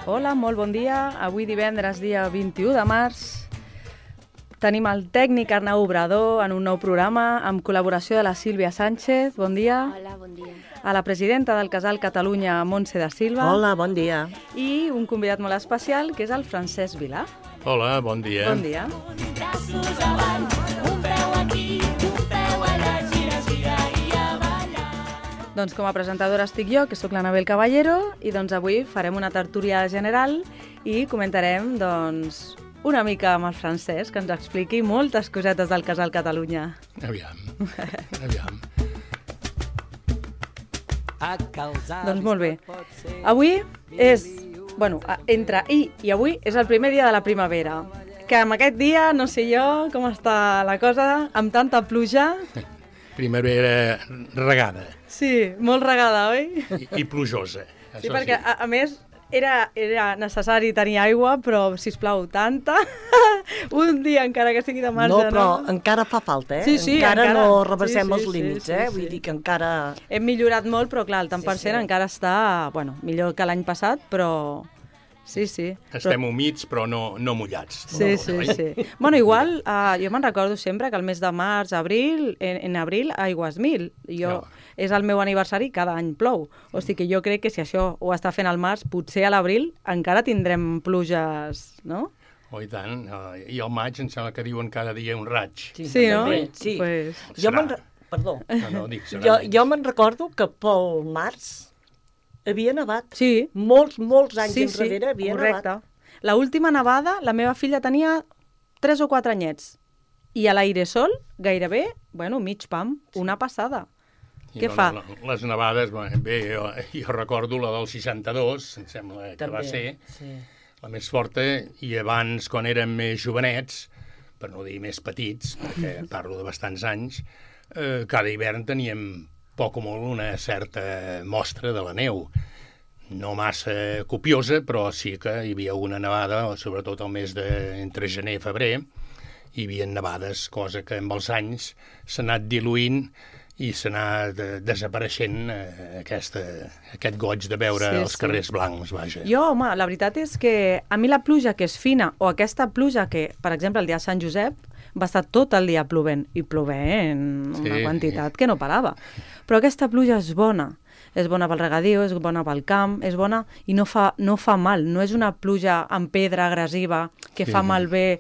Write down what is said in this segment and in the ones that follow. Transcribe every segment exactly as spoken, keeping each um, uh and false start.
Hola, molt bon dia. Avui divendres, dia vint-i-u de març, tenim el tècnic Arnau Obrador en un nou programa amb col·laboració de la Sílvia Sánchez. Bon dia. Hola, bon dia. A la presidenta del Casal Catalunya, Montse da Silva. Hola, bon dia. I un convidat molt especial, que és el Francesc Vilà. Hola, bon dia. Bon dia. Doncs com a presentadora estic jo, que sóc l'Anabel Caballero, i doncs avui farem una tertúlia general i comentarem doncs, una mica amb el Francesc, que ens expliqui moltes cosetes del Casal Catalunya. Aviam, aviam. Doncs molt bé. Avui és, bueno, entre ahir i avui és el primer dia de la primavera, que amb aquest dia, no sé jo com està la cosa, amb tanta pluja. Primavera regada. Sí, molt regada, oi? I, i plujosa. Sí, perquè a, a més era, era necessari tenir aigua, però, sisplau, tanta, un dia encara que sigui de marge. No, però no? encara fa falta, eh? Sí, sí, encara, encara no rebassem sí, sí, els límits, sí, sí, eh? sí. Vull dir que encara... Hem millorat molt, però clar, el tant per cent sí. encara està, bueno, millor que l'any passat, però... Sí, sí. Estem però... humits, però no, no mullats. Sí, no, sí, oi? sí. Bueno, igual, uh, jo me'n recordo sempre que el mes de març, abril, en, en abril, aigües mil. Jo, No. És el meu aniversari, cada any plou. O sigui que jo crec que si això ho està fent al març, potser a l'abril encara tindrem pluges, no? Oh, i tant. Uh, I al maig em sembla que diuen cada dia un raig. Sí, sí, no? també, sí. Pues... Jo Serà. me'n... re- Perdó. No, no, dic, serà Jo, menys. jo me'n recordo que pel març havia nevat. Sí. Molts, molts anys Sí, enrere sí, havia correcte. nevat. La última nevada, la meva filla tenia tres o quatre anyets. I a l'airesol, gairebé, bueno, mig pam, una passada. I Què no, fa? No, no, les nevades, bé, jo, jo recordo la del seixanta-dos, em sembla que va ser sí. la més forta, i abans, quan érem més jovenets, per no dir més petits, perquè parlo de bastants anys, eh, cada hivern teníem poc o molt una certa mostra de la neu. No massa copiosa, però sí que hi havia una nevada, sobretot el mes de entre gener i febrer, hi havia nevades, cosa que amb els anys s'ha anat diluint i s'ha anat eh, desapareixent eh, aquesta, aquest goig de veure Sí, els sí. carrers blancs, vaja. Jo, home, la veritat és que a mi la pluja que és fina, o aquesta pluja que, per exemple, el dia de Sant Josep, va estar tot el dia plovent, i plovent una Sí. quantitat que no parava. Però aquesta pluja és bona. És bona pel regadiu, és bona pel camp, és bona i no fa, no fa mal. No és una pluja amb pedra agressiva que Sí. fa malbé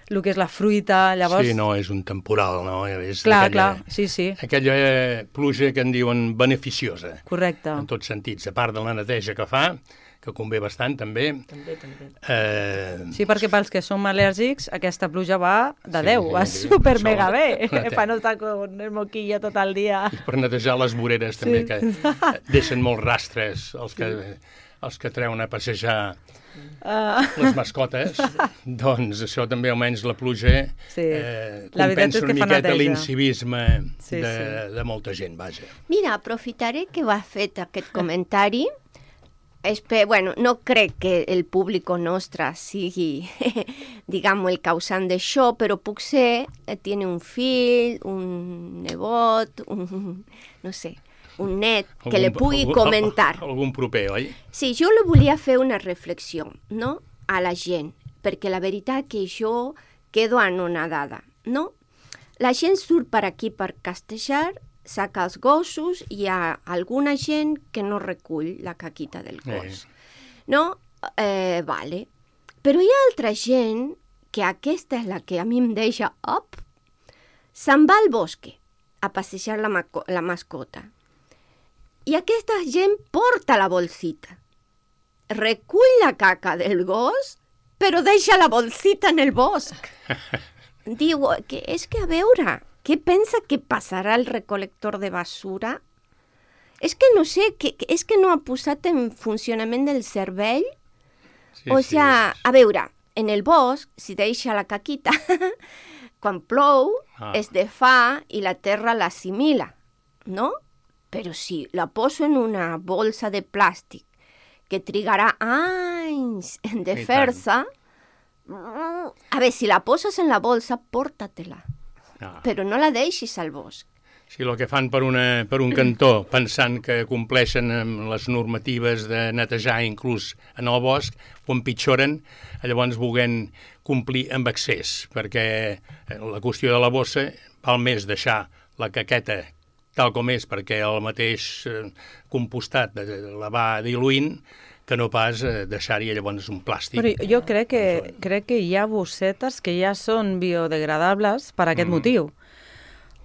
el que és la fruita. Llavors... Sí, no, és un temporal, no? És Clar, aquella, clar, sí, sí, Aquella pluja que en diuen beneficiosa, correcte. en tots sentits. A part de la neteja que fa, que convé bastant, també. També, també. Eh, Sí, perquè pels que som al·lèrgics, aquesta pluja va de Sí, Déu, va sí, super això- mega bé, la té. per no estar con el moquillo tot el dia. per netejar les voreres, Sí. també, que eh, deixen molts rastres, els que, els que treuen a passejar Uh, les mascotes, doncs això també almenys la pluja Sí. eh, La veritat compensa és una que fa miqueta neteja. l'incivisme Sí, de, sí. de molta gent, vaja. Mira, aprofitaré que ho has fet aquest comentari. Espe bueno, no crec que el públic nostre sigui, diguem, el causant d'això, però potser eh, tiene un fill, un nebot, un, no sé, un net, que Algun- le pugui algun- comentar. Algun proper, oi? Sí, jo li volia fer una reflexió, no?, a la gent, perquè la veritat que jo quedo anonadada, no? La gent surt per aquí per castejar, saca els gossos, i hi ha alguna gent que no recull la caquita del gos. No? Eh, vale. Però hi ha altra gent, que aquesta és la que a mi em deixa up, se'n va al bosque a passejar la, maco- la mascota. I aquesta gent porta la bolsita. Recull la caca del gos, però deixa la bolsita en el bosc. Diu, que és que a veure, què pensa que passarà el recolector de basura? És que no sé, que, que és que no ha posat en funcionament el cervell. Sí, O sí. sigui, a veure, en el bosc, si deixa la caquita, quan plou, Ah. es defà i la terra l'assimila, no? Però si la poso en una bolsa de plàstic que trigarà anys en I fer-se, a veure, si la poses en la bolsa, porta-te-la, Ah. però no la deixis al bosc. Sí, el que fan per, una, per un cantó, pensant que compleixen amb les normatives de netejar inclús en el bosc, ho empitjoren, llavors volent complir amb excés, perquè la qüestió de la bossa val més deixar la caqueta tal com és, perquè el mateix compostat la va diluint, que no pas deixar-hi llavors un plàstic. Però jo crec que, crec que hi ha bossetes que ja són biodegradables per aquest mm. motiu.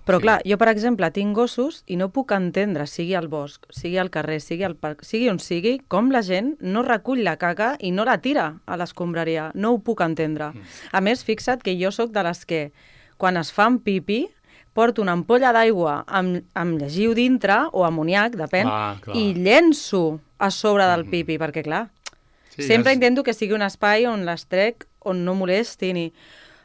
Però sí. clar, jo, per exemple, tinc gossos i no puc entendre, sigui al bosc, sigui al carrer, sigui al parc, sigui on sigui, com la gent no recull la caca i no la tira a l'escombraria. No ho puc entendre. Mm. A més, fixa't que jo sóc de les que, quan es fan pipi, porto una ampolla d'aigua amb, amb llegiu dintre, o amoniac, depèn, clar, clar. i llenço a sobre del pipi, mm. perquè, clar, sí, sempre ja és... intento que sigui un espai on les trec, on no molestin i...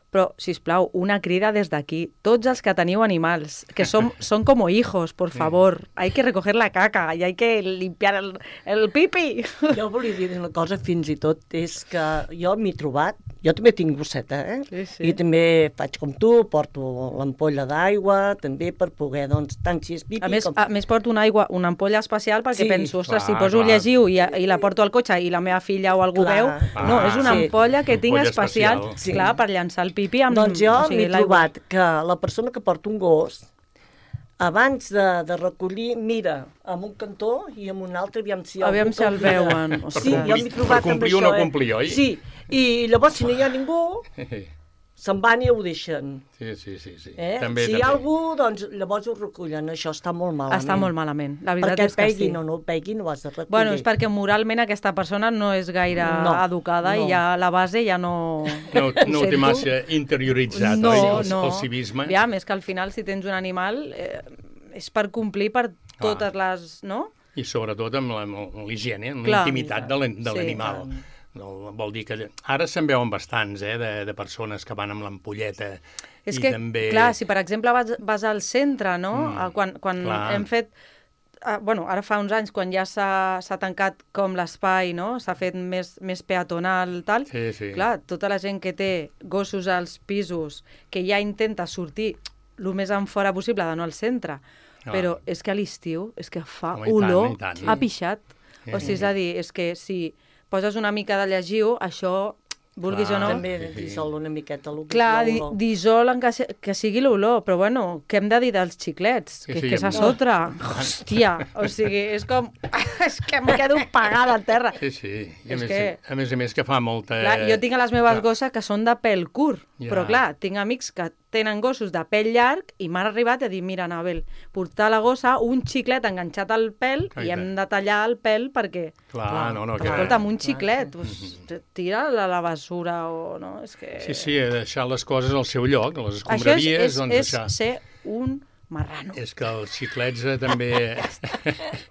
Però, sisplau, una crida des d'aquí. Tots els que teniu animals, que som, són com hijos, por favor. Hay que recoger la caca y hay que limpiar el, el pipi. Jo volia dir una cosa, fins i tot, és que jo m'he trobat, jo també tinc gosseta, eh? Sí, sí. I també faig com tu, porto l'ampolla d'aigua, també per poder, doncs, tant si és pipi... A més, com... a més porto una aigua, una ampolla especial, perquè sí. penso, ostres, clar, si poso clar. llegiu i, i la porto al cotxe i la meva filla o algú clar. veu... Ah, no, és una sí. ampolla que tinc Ampolla especial, especial. sí. clar, per llançar el pipi amb... Doncs jo o sigui, m'he trobat que la persona que porta un gos, abans de, de recollir, mira amb un cantó i amb un altre, aviam si... Aviam si el veuen. Sí, jo m'he trobat per complir amb o no això, complir, eh? oi? Sí, i llavors si no hi ha ningú, se'n van i ho deixen. Sí, sí, sí. sí. Eh? També, si també. hi ha algú, doncs llavors ho recullen. Això està molt malament. Està molt malament. La veritat perquè és que peguin sí. o no peguin, ho has de recollir. Bueno, és perquè moralment aquesta persona no és gaire no, educada no. i ja la base ja no... No, no ho té massa interioritzat, no, oi, el, no. el civisme. Ja, més que al final, si tens un animal, eh, és per complir per totes ah. les... No? I sobretot amb la- amb l'higiene, amb Clar. la intimitat de l'an- de Sí, l'animal. No, vol dir que... Ara se'n veuen bastants, eh, de, de persones que van amb l'ampolleta. És i que, també... clar, si per exemple vas, vas al centre, no? Mm, quan quan clar. hem fet... Ah, bueno, ara fa uns anys, quan ja s'ha s'ha tancat com l'espai, no? S'ha fet més, més peatonal, tal. Sí, sí. Clar, tota la gent que té gossos als pisos, que ja intenta sortir el més en fora possible, de no al centre, Ah. però és que a l'estiu és que fa Home, i tant, olor i tant. a pixat. Sí. O sigui, és a dir, és que si poses una mica de llegiu, això, vulguis Clar, o no... També Sí, sí. dissol una miqueta el que Clar, és di, l'olor. dissol en que, se- que sigui l'olor, però bueno, què hem de dir dels xiclets? Sí, Que, sí, que és a amb- sotra. Hòstia, o sigui, és com... és que em quedo pagada a terra. Sí, sí. I a, És més, que- a més a més que fa molta... Clar, jo tinc a les meves Clar. gosses que són de pèl curt, Ja. però clar, tinc amics que tenen gossos de pèl llarg i m'han arribat a dir, mira, Anabel, portar a la gossa un xiclet enganxat al pèl Ah, i i hem tant. de tallar el pèl perquè... Clar, no, no, que... Escolta'm, un xiclet, doncs, tira-la a la basura o... No? És que... Sí, sí, deixar les coses al seu lloc, les Això és, escombraries, és, doncs és deixar... ser un marrano. És que els xiclets eh, també...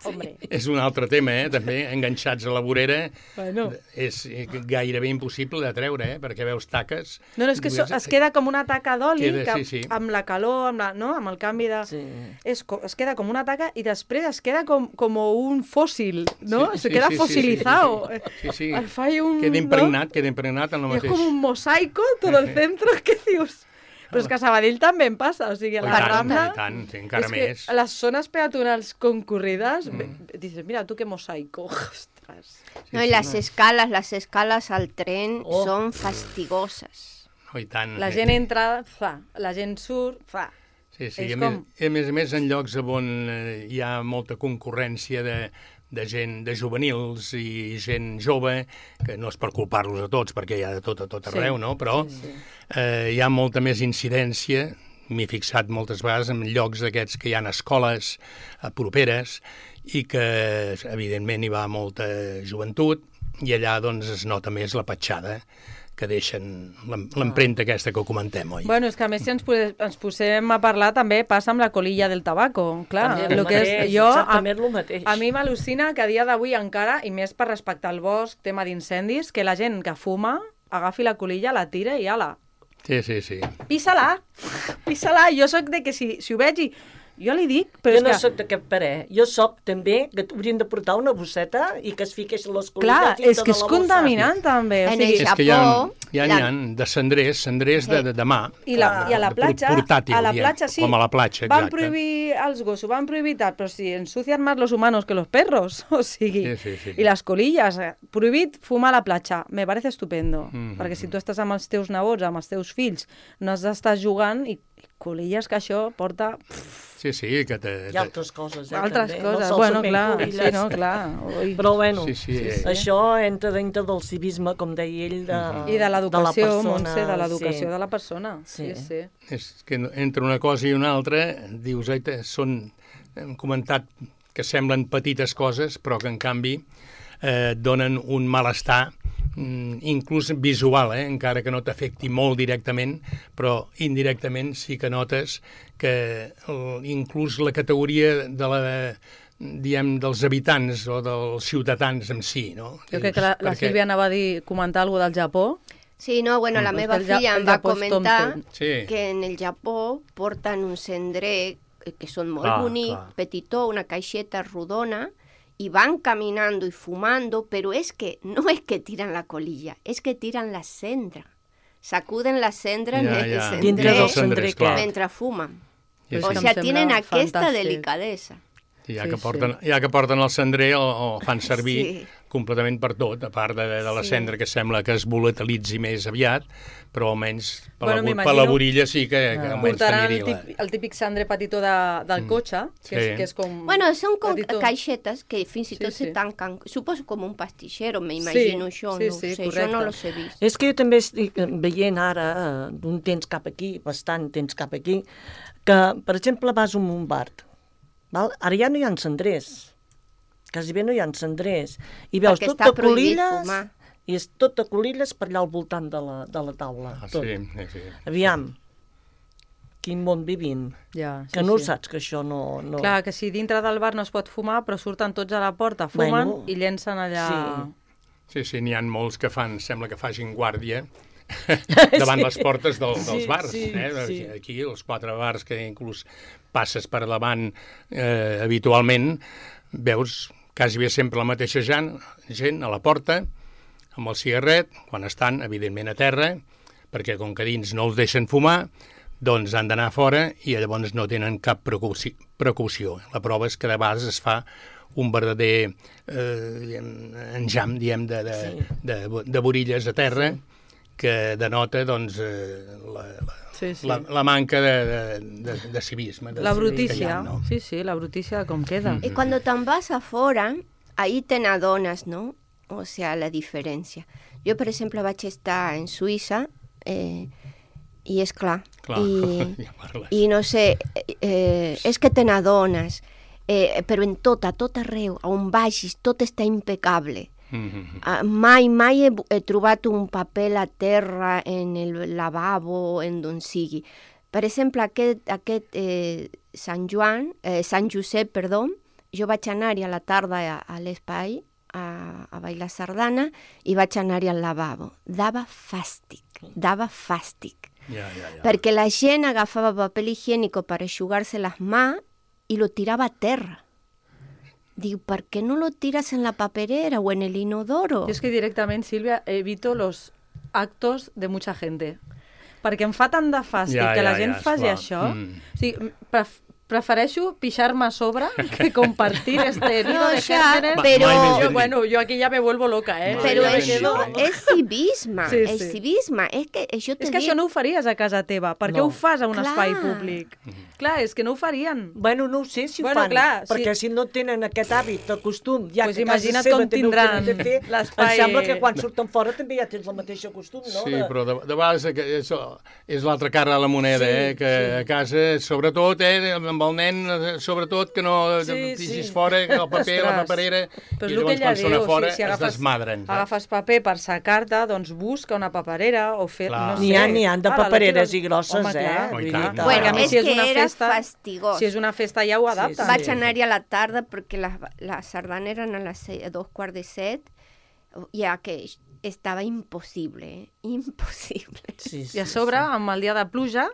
Hombre. és un altre tema, eh? També enganxats a la vorera Bueno. és gairebé impossible de treure, eh? Perquè veus taques... No, no, és que so, es queda com una taca d'oli, Queda, que sí, sí. amb la calor, amb, la, no? amb el canvi de... Sí. És, co- es queda com una taca i després es queda com, com un fòssil, no? Sí, Se sí, queda sí, sí, fossilizado. Sí, sí. El fai un... Queda ¿no? impregnat, queda impregnat en el I és mateix. com un mosaico tot el centre, què dius? Però és que a Sabadell també em passa, o sigui, a Oh, i la tant, Rambla... i tant, sí, encara és més. que les zones peatonals concurrides, mm. dices, mira, tu qué mosaico, ostres. No, y las escalas, las escalas al tren Oh. son fastigosas. Oh, i tant. La gent entra, fa, la gent surt, fa. Sí, sí, és i a, com- més, a més a més en llocs on eh, hi ha molta concurrència de, de gent, de juvenils i gent jove, que no és per culpar-los a tots, perquè hi ha de tot a tot arreu, Sí, no? Però sí, sí. Eh, hi ha molta més incidència, m'he fixat moltes vegades en llocs d'aquests que hi ha escoles eh, properes i que, evidentment, hi va molta joventut i allà, doncs, es nota més la petjada que deixen l'em- l'empremta aquesta que comentem, oi? Bueno, és que a més si ens, pose, ens posem a parlar també passa amb la colilla del tabaco, clar. També el lo que és, mateix, jo, a, exactament el mateix. a mi m'al·lucina que a dia d'avui encara, i més per respectar el bosc, tema d'incendis, que la gent que fuma agafi la colilla, la tira i ala, Sí, sí, sí. pissa-la, pissa-la. Jo sóc de que si, si ho veig i Jo li dic, però jo és no que... soc d'aquest parer. Jo soc també que haurien de portar una bosseta i que es fiquessin les colilles Clar, dintre és que de és la bossa. contaminant també. O En sigui, el És que hi ha, Japó, hi ha, la- hi ha de cendrers, cendrers de, de, de mà. I, la, I a la de platja, portàtil, a la diem, platja sí, com a la platja, van exacte. prohibir els gossos, van prohibir tal, però si ensucian más los humanos que los perros, o sigui, Sí, sí, sí. i les colilles, eh, prohibit fumar a la platja, me parece estupendo, Mhm. perquè si tu estàs amb els teus nebots, amb els teus fills, no has d'estar jugant i, i colilles que això porta Sí, sí, que te... Hi ha altres coses, eh, altres també. coses, no sols bueno, solament clar, colilles. sí, no, clar. Ui. Però bueno, Sí, sí, eh. això entra dintre del civisme, com deia ell, de, I de l'educació, la persona, Montse, de l'educació sí. de la persona. Sí, Sí. sí. És que entre una cosa i una altra, dius, aita, són, hem comentat que semblen petites coses, però que en canvi eh, donen un malestar mm, inclús visual, eh? Encara que no t'afecti molt directament, però indirectament sí que notes que el, inclús la categoria de la diem, dels habitants o dels ciutadans en si, no? Jo crec que la, la Perquè- Sílvia anava a dir, comentar alguna cosa del Japó. Sí, no, bueno, la Mm. meva El ja- filla el em va Japó és comentar Thompson. Sí. que en el Japó porten un cendrer eh, que són molt Clar, bonic, clar. petitó, una caixeta rodona, y van caminando y fumando, pero es que no es que tiran la colilla, es que tiran la cendra. Sacuden la cendra Ja, en el ja. Dintre del cendrer cendrer clar. aquest. mientras fuman. Sí, O sí. sea, Em tienen sembla aquesta fantàstic. delicadesa. I ja, Sí, que sí. porten, ja que porten el cendrer el, el fan servir Sí. completament per tot, a part de, de la Sí. cendra que sembla que es volatilitzi més aviat, però almenys per, Bueno, la, bu- per m'imagino- la borilla sí que, que Ah. almenys Portaran el, t'aniria la... típic, el típic cendrer petitó de, del cotxe, que, Sí. és, que és com... Bueno, son con petitó. caixetes que fins i Sí, tot sí. se tanquen, suposo com un pastillero, me imagino Sí, jo, sí, no sí, ho sé, correcte. jo no los he vist. És que jo també estic veient ara, eh, d'un temps cap aquí, bastant temps cap aquí, que, per exemple, vas a un Montbard, val? Ara ja no hi ha cendrers, quasi bé no hi ha cendrers, i veus Perquè tot està de prohibit colilles, fumar. i és tot de colilles per allà al voltant de la, de la taula. Ah, tot. sí, sí, sí. Aviam, quin món vivim, Ja, sí, que no sí. ho saps, que això no... no... Clar, que si dintre del bar no es pot fumar, però surten tots a la porta, fumen Bueno, i llencen allà... Sí, sí, n'hi ha molts que fan, sembla que facin guàrdia davant les portes del, dels Sí, bars. sí, eh? sí. Aquí, els quatre bars que inclús passes per davant eh, habitualment, veus quasi bé sempre la mateixa gent, gent a la porta, amb el cigarret, quan estan, evidentment, a terra, perquè com que dins no els deixen fumar, doncs han d'anar fora i llavors no tenen cap precauci- precaució. La prova és que de vegades es fa un verdader eh, diguem, enjam, diem, de, de, Sí. de, de borilles a terra, que denota doncs, eh, la, la, Sí, sí. la, la manca de, de, de, de civisme. De La civisme que hi brutícia, ha, no? sí, sí, la brutícia com queda. Y cuando te vas afuera, ahí te adonas, ¿no? O sea, la diferència. Jo, per exemple, vaig estar en Suïssa eh, i és clar. Clar, I, ja parles. I no sé, eh, és que te n'adones, eh, però en tot, a tot arreu, a on vagis, tot està impecable. Mhm. Ah, mai, mai he, he trobat un paper a terra en el lavabo, en d'on sigui. Per exemple, aquest, aquest eh, Sant Joan, eh, Sant Josep, perdó, jo vaig anar-hi a la tarda a, a l'espai, a, a bailar sardana, i vaig anar-hi al lavabo. Dava fàstic, dava fàstic. Ja, ja, ja. Perquè la gent agafava paper higiénico per eixugar-se les mans i lo tirava a terra. Diu, ¿por qué no lo tiras en la paperera o en el inodoro? Jo és que directament, Sílvia, evito los actos de mucha gente. Perquè em fa tant de fàstic Ja, que la ja, gent ja, faci esclar. això. Mm. O sigui, pref prefereixo pixar-me a sobre que compartir este nido No, de ya, gérmenes. pero- Mai més ben Yo, dit. bueno, yo aquí ya me vuelvo loca, ¿eh? Pero Ja, ja, això ja. és civisme, Sí, és sí. civisme. És que això te És que dic... això no ho faries a casa teva. Per què No. ho fas a un Clar. espai públic? Clar, és que no ho farien. Bueno, no ho sé si ho Bueno, fan, clar, perquè sí. si no tenen aquest hàbit, el costum, ja Pues que a casa imagina't seva com també ho tindran tenen de fer, l'espai- em sembla que quan surten fora també ja tens el mateix costum, no? Sí, De- però de, de vegades que és, és l'altra cara de la moneda, Sí, eh? Que sí. a casa, sobretot, eh? Amb el nen, eh, sobretot, que no Sí, pixis sí. fora, que el paper, la Ostres. paperera, Però i és el que llavors ella quan diu, sona fora si, si es agafes, desmadren. saps? agafes paper per secar-te, doncs busca una paperera o fer, Clar. no sé. N'hi ha- n'hi ha de Ara, la papereres tira- i grosses, Home, eh? clar, Oh, i vull tant. dir, Bueno, perquè a mi és si és que una era festa, fastigós. si és una festa ja ho adapten. sí. Vaig anar-hi a la tarda perquè les, les sardanes eren a les se- a dos quarts de set, ja que estava impossible, eh? impossible. Sí, sí, I a sobre, sí. amb el dia de pluja,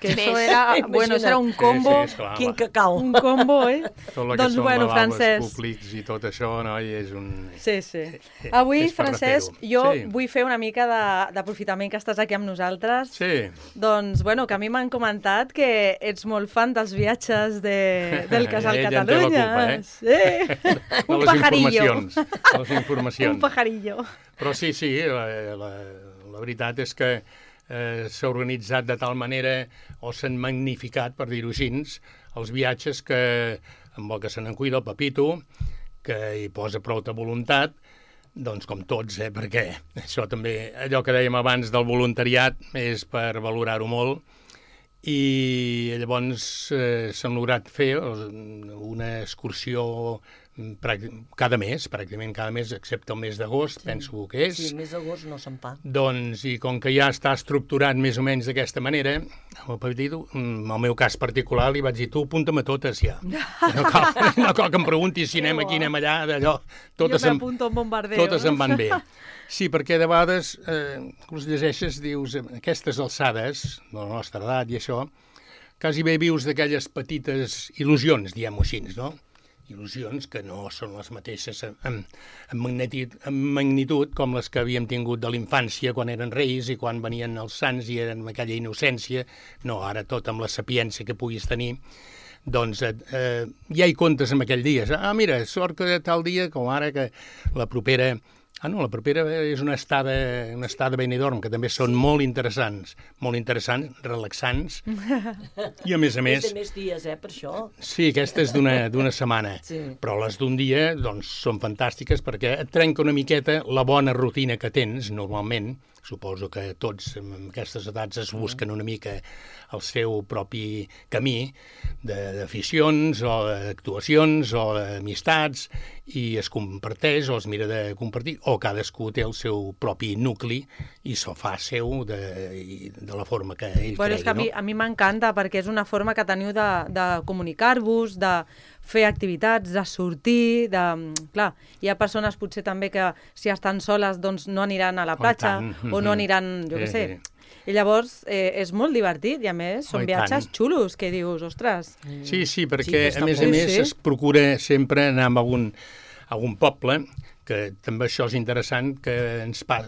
que Més. això era, bueno, això era un combo, Sí, sí, esclar, Quin va. cacau. un combo, eh? Tot el que Doncs, són bueno, lavables Francesc. públics i tot això, noi, és un... Sí, sí. Eh, Avui, és per Francesc, refer-ho. jo Sí. vull fer una mica de- d'aprofitament que estàs aquí amb nosaltres. Sí, Doncs, bueno, que a mi m'han comentat que ets molt fan dels viatges de, del Casal Ella en té la Catalunya. culpa, eh? Sí. de Un les pajarillo. informacions. De les informacions. Un pajarillo. Però sí, sí, la, la, la veritat és que eh, s'ha organitzat de tal manera, o s'han magnificat, per dir-ho així, els viatges que, amb el que se n'en cuida el Pepito, que hi posa prou de voluntat, doncs com tots, eh, perquè això també, allò que dèiem abans del voluntariat, és per valorar-ho molt, i llavors eh, s'han lograt fer una excursió cada mes, pràcticament cada mes, excepte el mes d'agost, sí. penso que és. Sí, el mes d'agost no se'n fa. Doncs, i com que ja està estructurat més o menys d'aquesta manera, el Pepito, en el meu cas particular, li vaig dir, tu apunta'm a totes ja. No cal, no cal que em preguntis si anem aquí, anem allà, d'allò. Totes jo em, m'apunto a un bombardeo. totes em van bé. Sí, perquè de vegades, eh, us llegeixes, dius, aquestes alçades, de la nostra edat i això, quasi bé vius d'aquelles petites il·lusions, diguem-ho així, no? Il·lusions que no són les mateixes en, en, en, magnitud, en magnitud com les que havíem tingut de l'infància quan eren reis i quan venien els sants i eren amb aquella innocència. No, ara tot amb la sapiència que puguis tenir. Doncs eh, ja hi comptes en aquell dia. Ah, mira, sort que tal dia com ara que la propera... Ah, no, la propera és una estada, una estada a Benidorm, que també són molt interessants, molt interessants, relaxants, i a més a més... És de més dies, eh, per això. Sí, aquesta és d'una d'una setmana, Sí. però les d'un dia doncs, són fantàstiques perquè et trenca una miqueta la bona rutina que tens normalment. Suposo que tots en aquestes edats es busquen una mica el seu propi camí d'aficions o d'actuacions o d'amistats i es comparteix o es mira de compartir, o cadascú té el seu propi nucli i s'ho fa seu de, de la forma que ell Bueno, cregui, és que a mi, no? a mi m'encanta perquè és una forma que teniu de, de comunicar-vos, de fer activitats, de sortir, de... Clar, hi ha persones potser també que si estan soles doncs no aniran a la Oh, platja tant. o no aniran, jo què Sí, sé. sí. I llavors eh, és molt divertit i a més són Oh, i viatges tant. xulos que dius, ostres... Sí, sí, perquè que a està més a molt- més Sí, sí. es procura sempre anar a algun, a algun poble, que també això és interessant, que ens pa...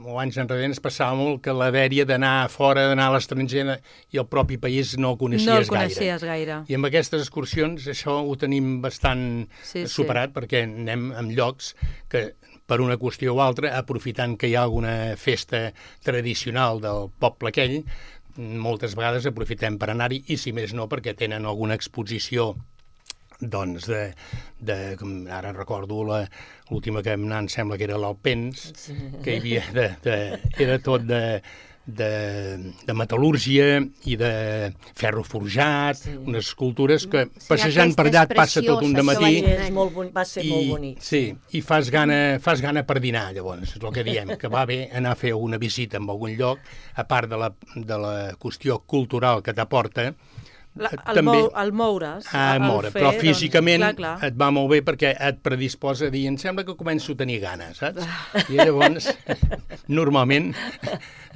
o anys enrere ens passava molt que la dèria d'anar fora, d'anar a l'estranger i el propi país no el coneixies, no el gaire. coneixies gaire. I amb aquestes excursions això ho tenim bastant Sí, sí. superat, perquè anem en llocs que per una qüestió o altra, aprofitant que hi ha alguna festa tradicional del poble aquell, moltes vegades aprofitem per anar-hi, i si més no perquè tenen alguna exposició doncs de, de com ara recordo la l'última que vam anar, em sembla que era l'Alpens, sí. que hi havia de, de, era tot de, de, de metal·lúrgia i de ferro forjat, sí. unes escultures que Sí, passejant per allà et passa tot un preciós, dematí això És molt boni, va ser i, molt bonic. sí, i fas gana, fas gana per dinar, llavors, és el que diem, que va bé anar a fer una visita en algun lloc, a part de la, de la qüestió cultural que t'aporta, La, el, mou, el moure's, Ah, el moure, fer, però físicament doncs, clar, clar. et va molt bé perquè et predisposa a dir, em sembla que començo a tenir gana, saps? I llavors, normalment,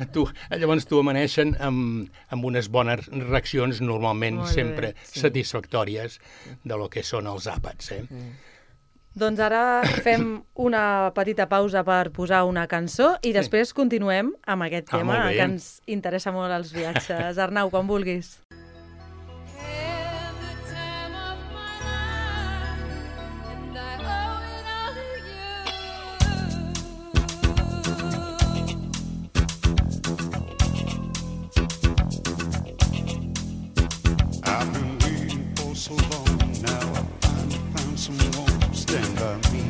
tu, llavors t'ho amaneixen amb, amb unes bones reaccions, normalment Molt bé, sempre sí. satisfactòries de lo que són els àpats, eh? Mm. Doncs ara fem una petita pausa per posar una cançó i Sí. després continuem amb aquest Ah, tema molt bé. que ens interessa molt els viatges. Arnau, quan vulguis. I've been waiting for so long now. I finally found someone to stand by me.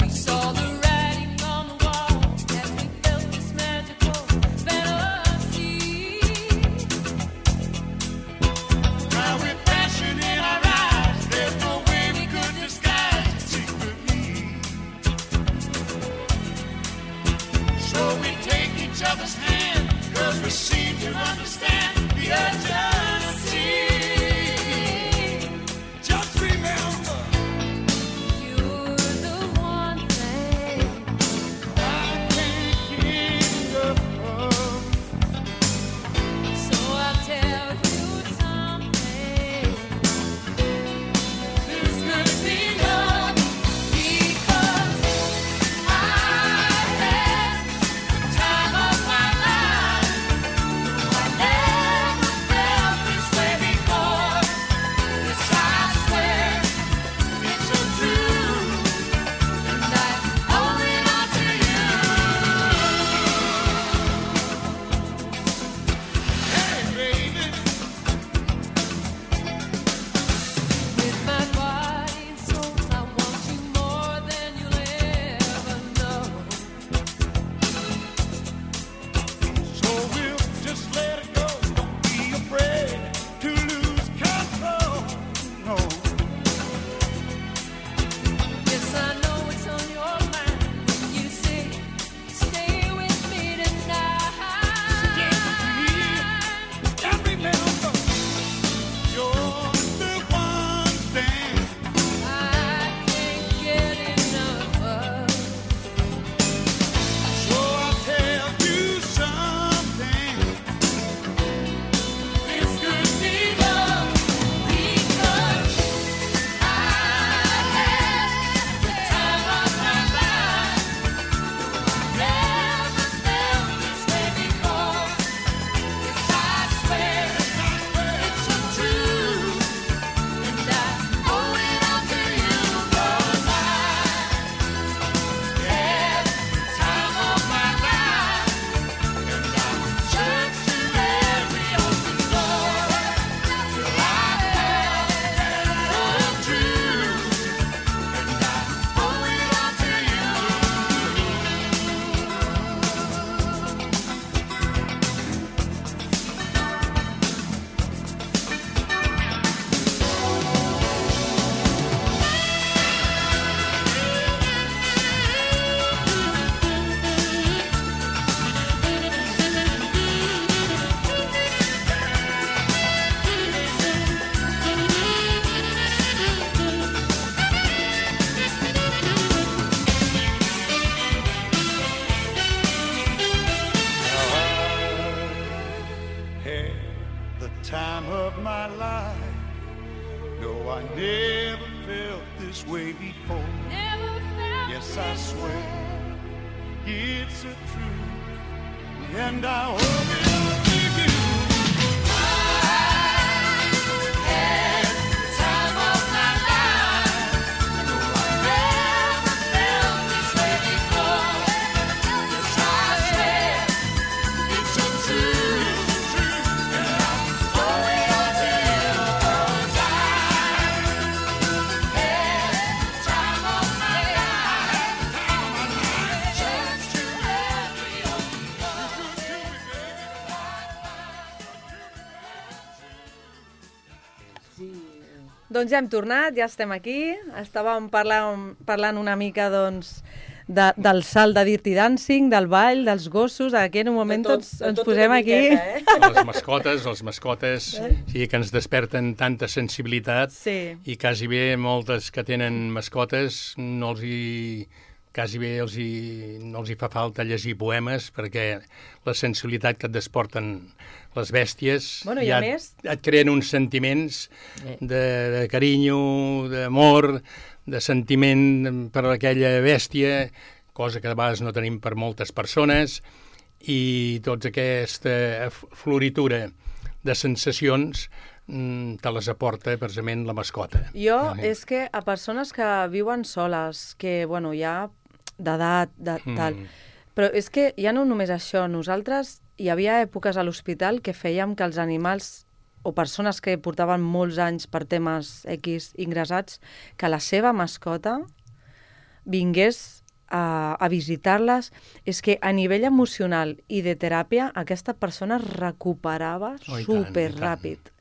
We saw the writing on the wall as we felt this magical fellowship. this way before. Yes, I swear it's a truth, and I owe it to you. Doncs ja hem tornat, ja estem aquí. Estàvem parlant, parlant una mica doncs, de, del salt de Dirty Dancing, del ball, dels gossos. Aquí en un moment tot, tots de ens tot posem una aquí. miqueta, eh? Les mascotes, els mascotes, sí, que ens desperten tanta sensibilitat Sí. i quasi bé moltes que tenen mascotes no els hi, quasi bé els hi, no els hi fa falta llegir poemes perquè la sensibilitat que et desporten les bèsties Bueno, i ja a més- et, et creen uns sentiments Eh. de, de carinyo, d'amor, de sentiment per aquella bèstia, cosa que a vegades no tenim per moltes persones, i tota aquesta floritura de sensacions mm, te les aporta precisament la mascota. Jo, Ah, és que a persones que viuen soles, que, bueno, ja d'edat, de, Mm. tal... Però és que ja no només això, nosaltres hi havia èpoques a l'hospital que fèiem que els animals o persones que portaven molts anys per temes X ingressats, que la seva mascota vingués a, a visitar-les. És que a nivell emocional i de teràpia aquesta persona es recuperava Oh, i tant, super i tant. ràpid.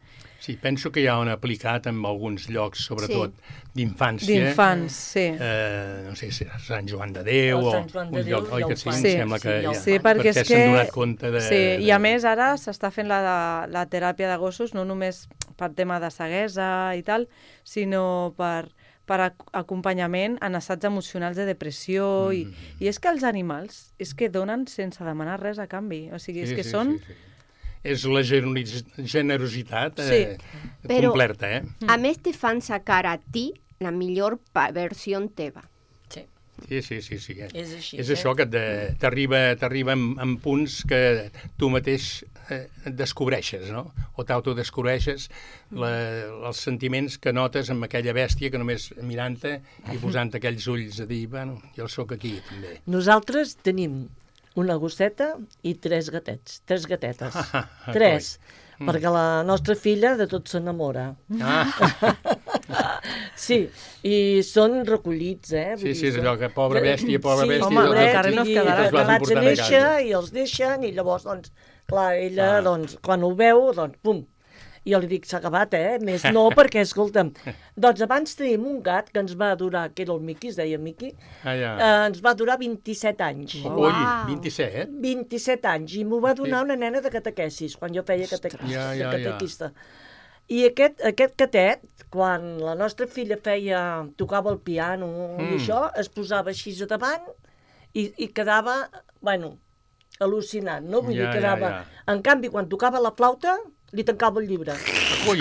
Sí, penso que ja ho han aplicat en alguns llocs, sobretot d'infància. D'infants, sí. Eh, no sé si és Sant Joan de Déu El o Sant Joan de un Déu lloc, oi ja que ho sí? fan. Sí. Em sembla que Sí, ja ho ja, Sí, perquè és que... s'han donat compte de... Sí, i a de- més ara s'està fent la, la teràpia de gossos no només per tema de ceguesa i tal, sinó per, per ac- acompanyament en estats emocionals de depressió. Mm. I, I és que els animals és que donen sense demanar res a canvi. O sigui, és Sí, que sí, són... sí, sí. És la generosi- generositat eh, Sí. Però- completa, eh? A més, te fan sacar a ti la millor pa- versió teva. Sí. Sí, sí, sí. sí. És així, És eh? això que de- t'arriba t'arriba en, en punts que tu mateix eh, descobreixes, no? O t'autodescobreixes la, els sentiments que notes amb aquella bèstia que només mirant-te i posant aquells ulls a dir, bueno, jo sóc aquí, també. Nosaltres tenim una gosseta i tres gatets, tres gatetes. Ah, tres, coi. perquè la nostra filla de tot s'enamora. Ah, Sí, i són recollits, eh? Vull sí, dir, sí, és són- allò que pobra bèstia, pobra sí, bèstia... home, doncs, al carrer no es i quedarà. els Els vas acabats de emportant a néixer casa. i els deixen i llavors, doncs, clar, ella, Ah. doncs, quan ho veu, doncs, pum, i jo li dic, s'ha acabat, eh? Més no, perquè, escolta'm, doncs abans tenim un gat que ens va durar, que era el Miqui, es deia Miqui, Ah, ja. eh, ens va durar vint-i-set anys. Ui, Uau. vint-i-set? vint-i-set anys, i m'ho va donar Sí. una nena de catequesis, quan jo feia cate... Ja, de ja, ja. catequista. I aquest, aquest catet, quan la nostra filla feia, tocava el piano mm. i Mm. això, es posava així a davant i, i quedava, bueno, al·lucinant, no? Vull Ja, dir, quedava... ja, En canvi, quan tocava la flauta, li tancava el llibre. Ui,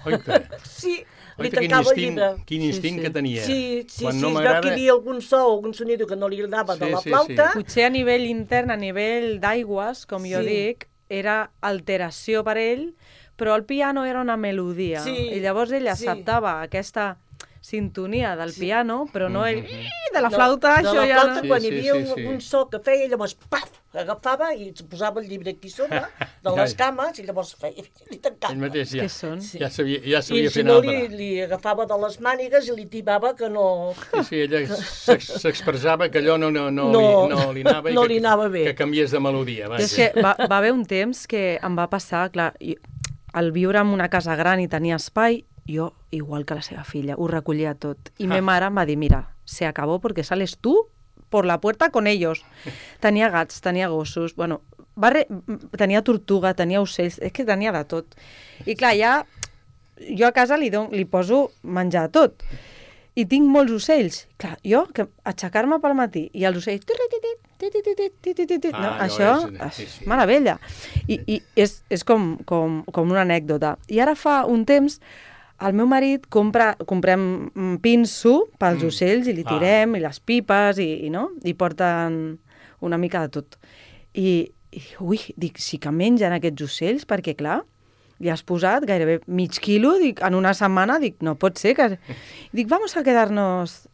oita. Sí, li Oita, quin tancava el instint, llibre. quin instint que tenia. Sí, sí, Quan sí, no es veu m'agrada... que hi havia algun so o algun sonido que no li agradava Sí, de la sí, flauta. sí. Potser a nivell intern, a nivell d'aigües, com jo Sí. dic, era alteració per ell, però el piano era una melodia. Sí, I llavors ell sí. acceptava aquesta sintonia del Sí. piano, però no ell... Mhm. "Ih, de la flauta, de això la ja flauta, no... quan Sí, hi sí, havia sí, un, sí. un so que feia, llavors, paf, agafava i es posava el llibre aquí sobre, de Ja, les ja. cames, i llavors feia, li tancava. Ell mateix ja, Què són? Sí. ja sabia, ja I sabia si fer no, anar li, li agafava de les mànigues i li tibava que no... Sí, sí, ella s'ex- s'expressava que allò no, no, no, No, li, no li anava i no que, li anava bé. que canviés de melodia. I Vaja. és que va, va haver un temps que em va passar, clar, i, al viure en una casa gran i tenia espai, jo, igual que la seva filla, ho recollia tot. I Ah. ma mare em va dir, mira, se acabó porque sales tú por la puerta con ellos. Tenia gats, tenia gossos, bueno, va re... tenia tortuga, tenia ocells, és que tenia de tot. I clar, ja jo a casa li, don, li poso menjar a tot. I tinc molts ocells. Clar, jo, que aixecar-me pel matí i els ocells... No, Ah, això allò és- sí, és sí. meravella. I, i és, és com, com, com una anècdota. I ara fa un temps el meu marit compra, comprem mm, pinso pels Mm. ocells i li Ah. tirem, i les pipes, i, i, no? I porten una mica de tot. I, i ui, dic, sí que mengen aquests ocells, perquè clar, li has posat gairebé mig quilo, dic, en una setmana, dic, no pot ser que... Dic, vamos a quedarnos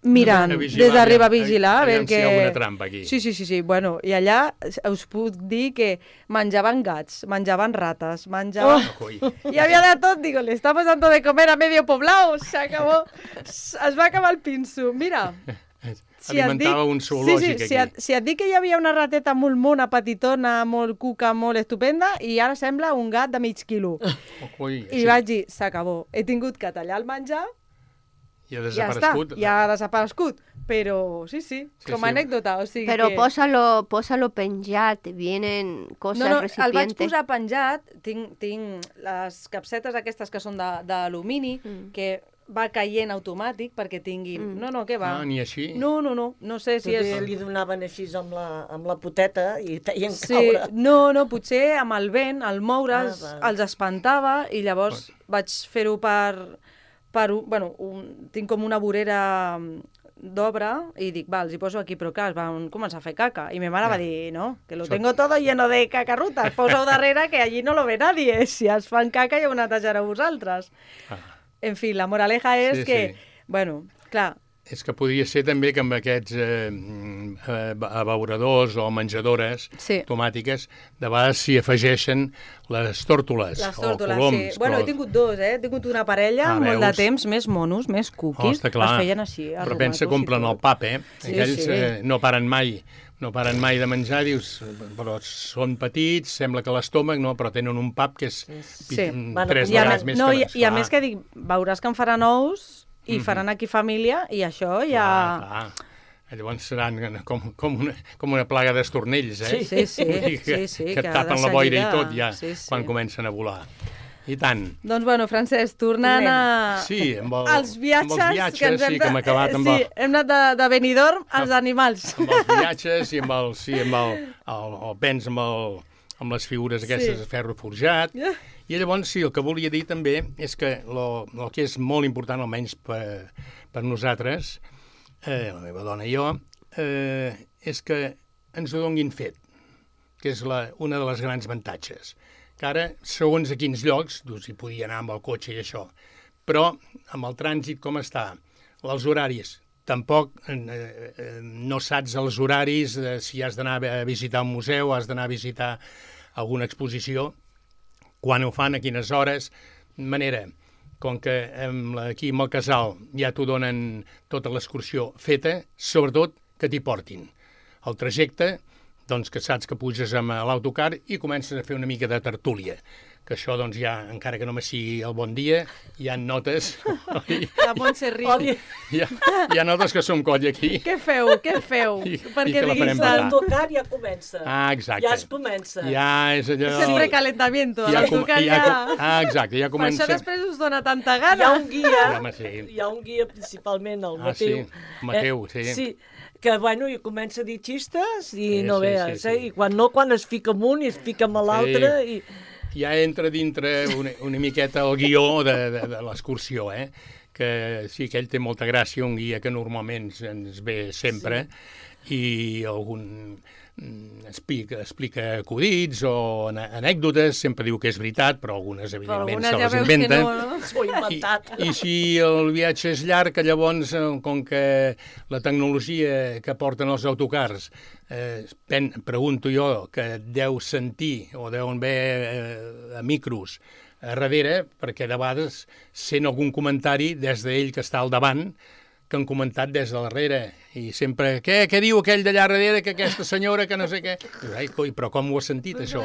mirant, A vigilar, des d'arriba a aviam, vigilar, a aviam veure si hi ha que... alguna trampa aquí. Sí, sí, sí, sí, bueno, i allà us puc dir que menjaven gats, menjaven rates, menjaven... Oh, coi. Y había de tot, digo, le estamos dando de comer a medio poblado, se acabó, es va acabar el pinso. Mira, si et Alimentava dic, un zoològic sí, sí, si, et, aquí. si et dic que hi havia una rateta molt mona, petitona, molt cuca, molt estupenda, i ara sembla un gat de mig quilo. Oh, coi, I vaig dir, s'acabó. He tingut que tallar el menjar, I ha ja està, desaparegut. ja ha desaparegut. Però sí, sí, Sí, com sí. a anècdota. O sigui Pero que... pósalo, pósalo penjat, vienen cosas No, no, el vaig recipientes. posar penjat, tinc, tinc les capsetes aquestes que són de- d'alumini, Mm. que va caient automàtic perquè tinguin... Mm. No, no, què va? Ah, ni així? No, no, no, no sé si Potser és... li donaven així amb la, amb la poteta i feien Sí, caure. no, no, potser amb el vent, al moure's, Ah, ah, va. els espantava i llavors vaig fer-ho per... per un, bueno, un, tinc com una vorera d'obra i dic, va, els hi poso aquí, però clar, es van començar a fer caca. I mi mare va dir, no, que lo Això- tengo todo lleno de cacarrutas, posa-ho darrere que allí no lo ve nadie. Si es fan caca ja ho netejareu vosaltres. Ah. En fi, la moraleja és Sí, que, sí. bueno, clar, És que podria ser també que amb aquests eh, mm, eh, abeuradors o menjadores Sí. automàtiques, de vegades s'hi afegeixen les tòrtoles les o tórtoles, coloms. sí. Bueno, però- he tingut dos, eh? He tingut una parella, Ah, molt de veus? temps, més monos, més Oh, cookies. està clar. Es feien així, Però pensa arrumatos que i omplen tot. el pap, eh? Sí, Aquells sí. eh, no paren mai, no paren mai de menjar, dius, però són petits, sembla que l'estómac, no, però tenen un pap que és Sí. pi- Van tres I a, vegades més, més no, que i, les. i a clar. més que dic, veuràs que en faran ous i Mhm. faran aquí família i això ja... Clar, clar. Llavors seran com, com, una, com una plaga d'estornells, eh? Sí, sí, sí, Vull dir que, sí, sí, que que et de tapen la boira i seguida- tot ja, sí, sí. quan comencen a volar. I tant. Doncs bueno, Francesc, tornant a... Sí, amb, el, als viatges, amb els viatges, que ens hem sí, de... que hem acabat amb, sí, el, hem anat de, de Benidorm als animals. amb els viatges i amb el, sí, amb el, el, el pens amb, el, amb les figures aquestes Sí. de ferro forjat. I llavors, sí, el que volia dir també és que lo, el que és molt important, almenys per, per nosaltres, eh, la meva dona i jo, eh, és que ens ho donguin fet, que és la, una de les grans avantatges. Que ara, segons a quins llocs, doncs hi podia anar amb el cotxe i això, però amb el trànsit com està, els horaris, tampoc eh, eh, no saps els horaris de si has d'anar a visitar un museu, has d'anar a visitar alguna exposició, quan ho fan, a quines hores, de manera, com que amb la, aquí amb el casal ja t'ho donen tota l'excursió feta, sobretot que t'hi portin. El trajecte, doncs que saps que puges amb l'autocar i comences a fer una mica de tertúlia, que això doncs ja, encara que només sigui el bon dia, hi ha notes, oi? La Montse riu. hi, ha, hi ha notes que som coll aquí. Què feu? Què feu? I- i Perquè que la diguis farem tant. petar. L'autocar ja comença. Ah, exacte. Ja es comença. Ja és allò... És el precalentamiento. Ja, com, l'autocar ja, ja... ah, exacte, ja Per comença... això després us dona tanta Hi ha gana. un guia, Home, sí. hi ha un guia principalment, el Ah, sí, Mateu. Mateu, sí. Sí, que bueno, i comença a dir xistes i Sí, no sí, veus, sí, eh? sí. I quan no, quan es fica amb un i es fica amb l'altre i... Ja entra dintre una, una miqueta el guió de, de, de l'excursió, eh? Que sí que ell té molta gràcia, un guia que normalment ens ve sempre, sí. I algun mm, explica, explica acudits o ane- anècdotes, sempre diu que és veritat, però algunes Però evidentment algunes se ja les veus que inventa. no, no? S'ho ha inventat. I, I si el viatge és llarg, que llavors, eh, com que la tecnologia que porten els autocars, eh, pen, pregunto jo, que deu sentir o deuen haver eh, micros a darrere, perquè de vegades sent algun comentari des d'ell que està al davant, que han comentat des de darrere, i sempre, què, què diu aquell d'allà darrere, que aquesta senyora, que no sé què... Dius, ai, coi, però com ho has sentit, això?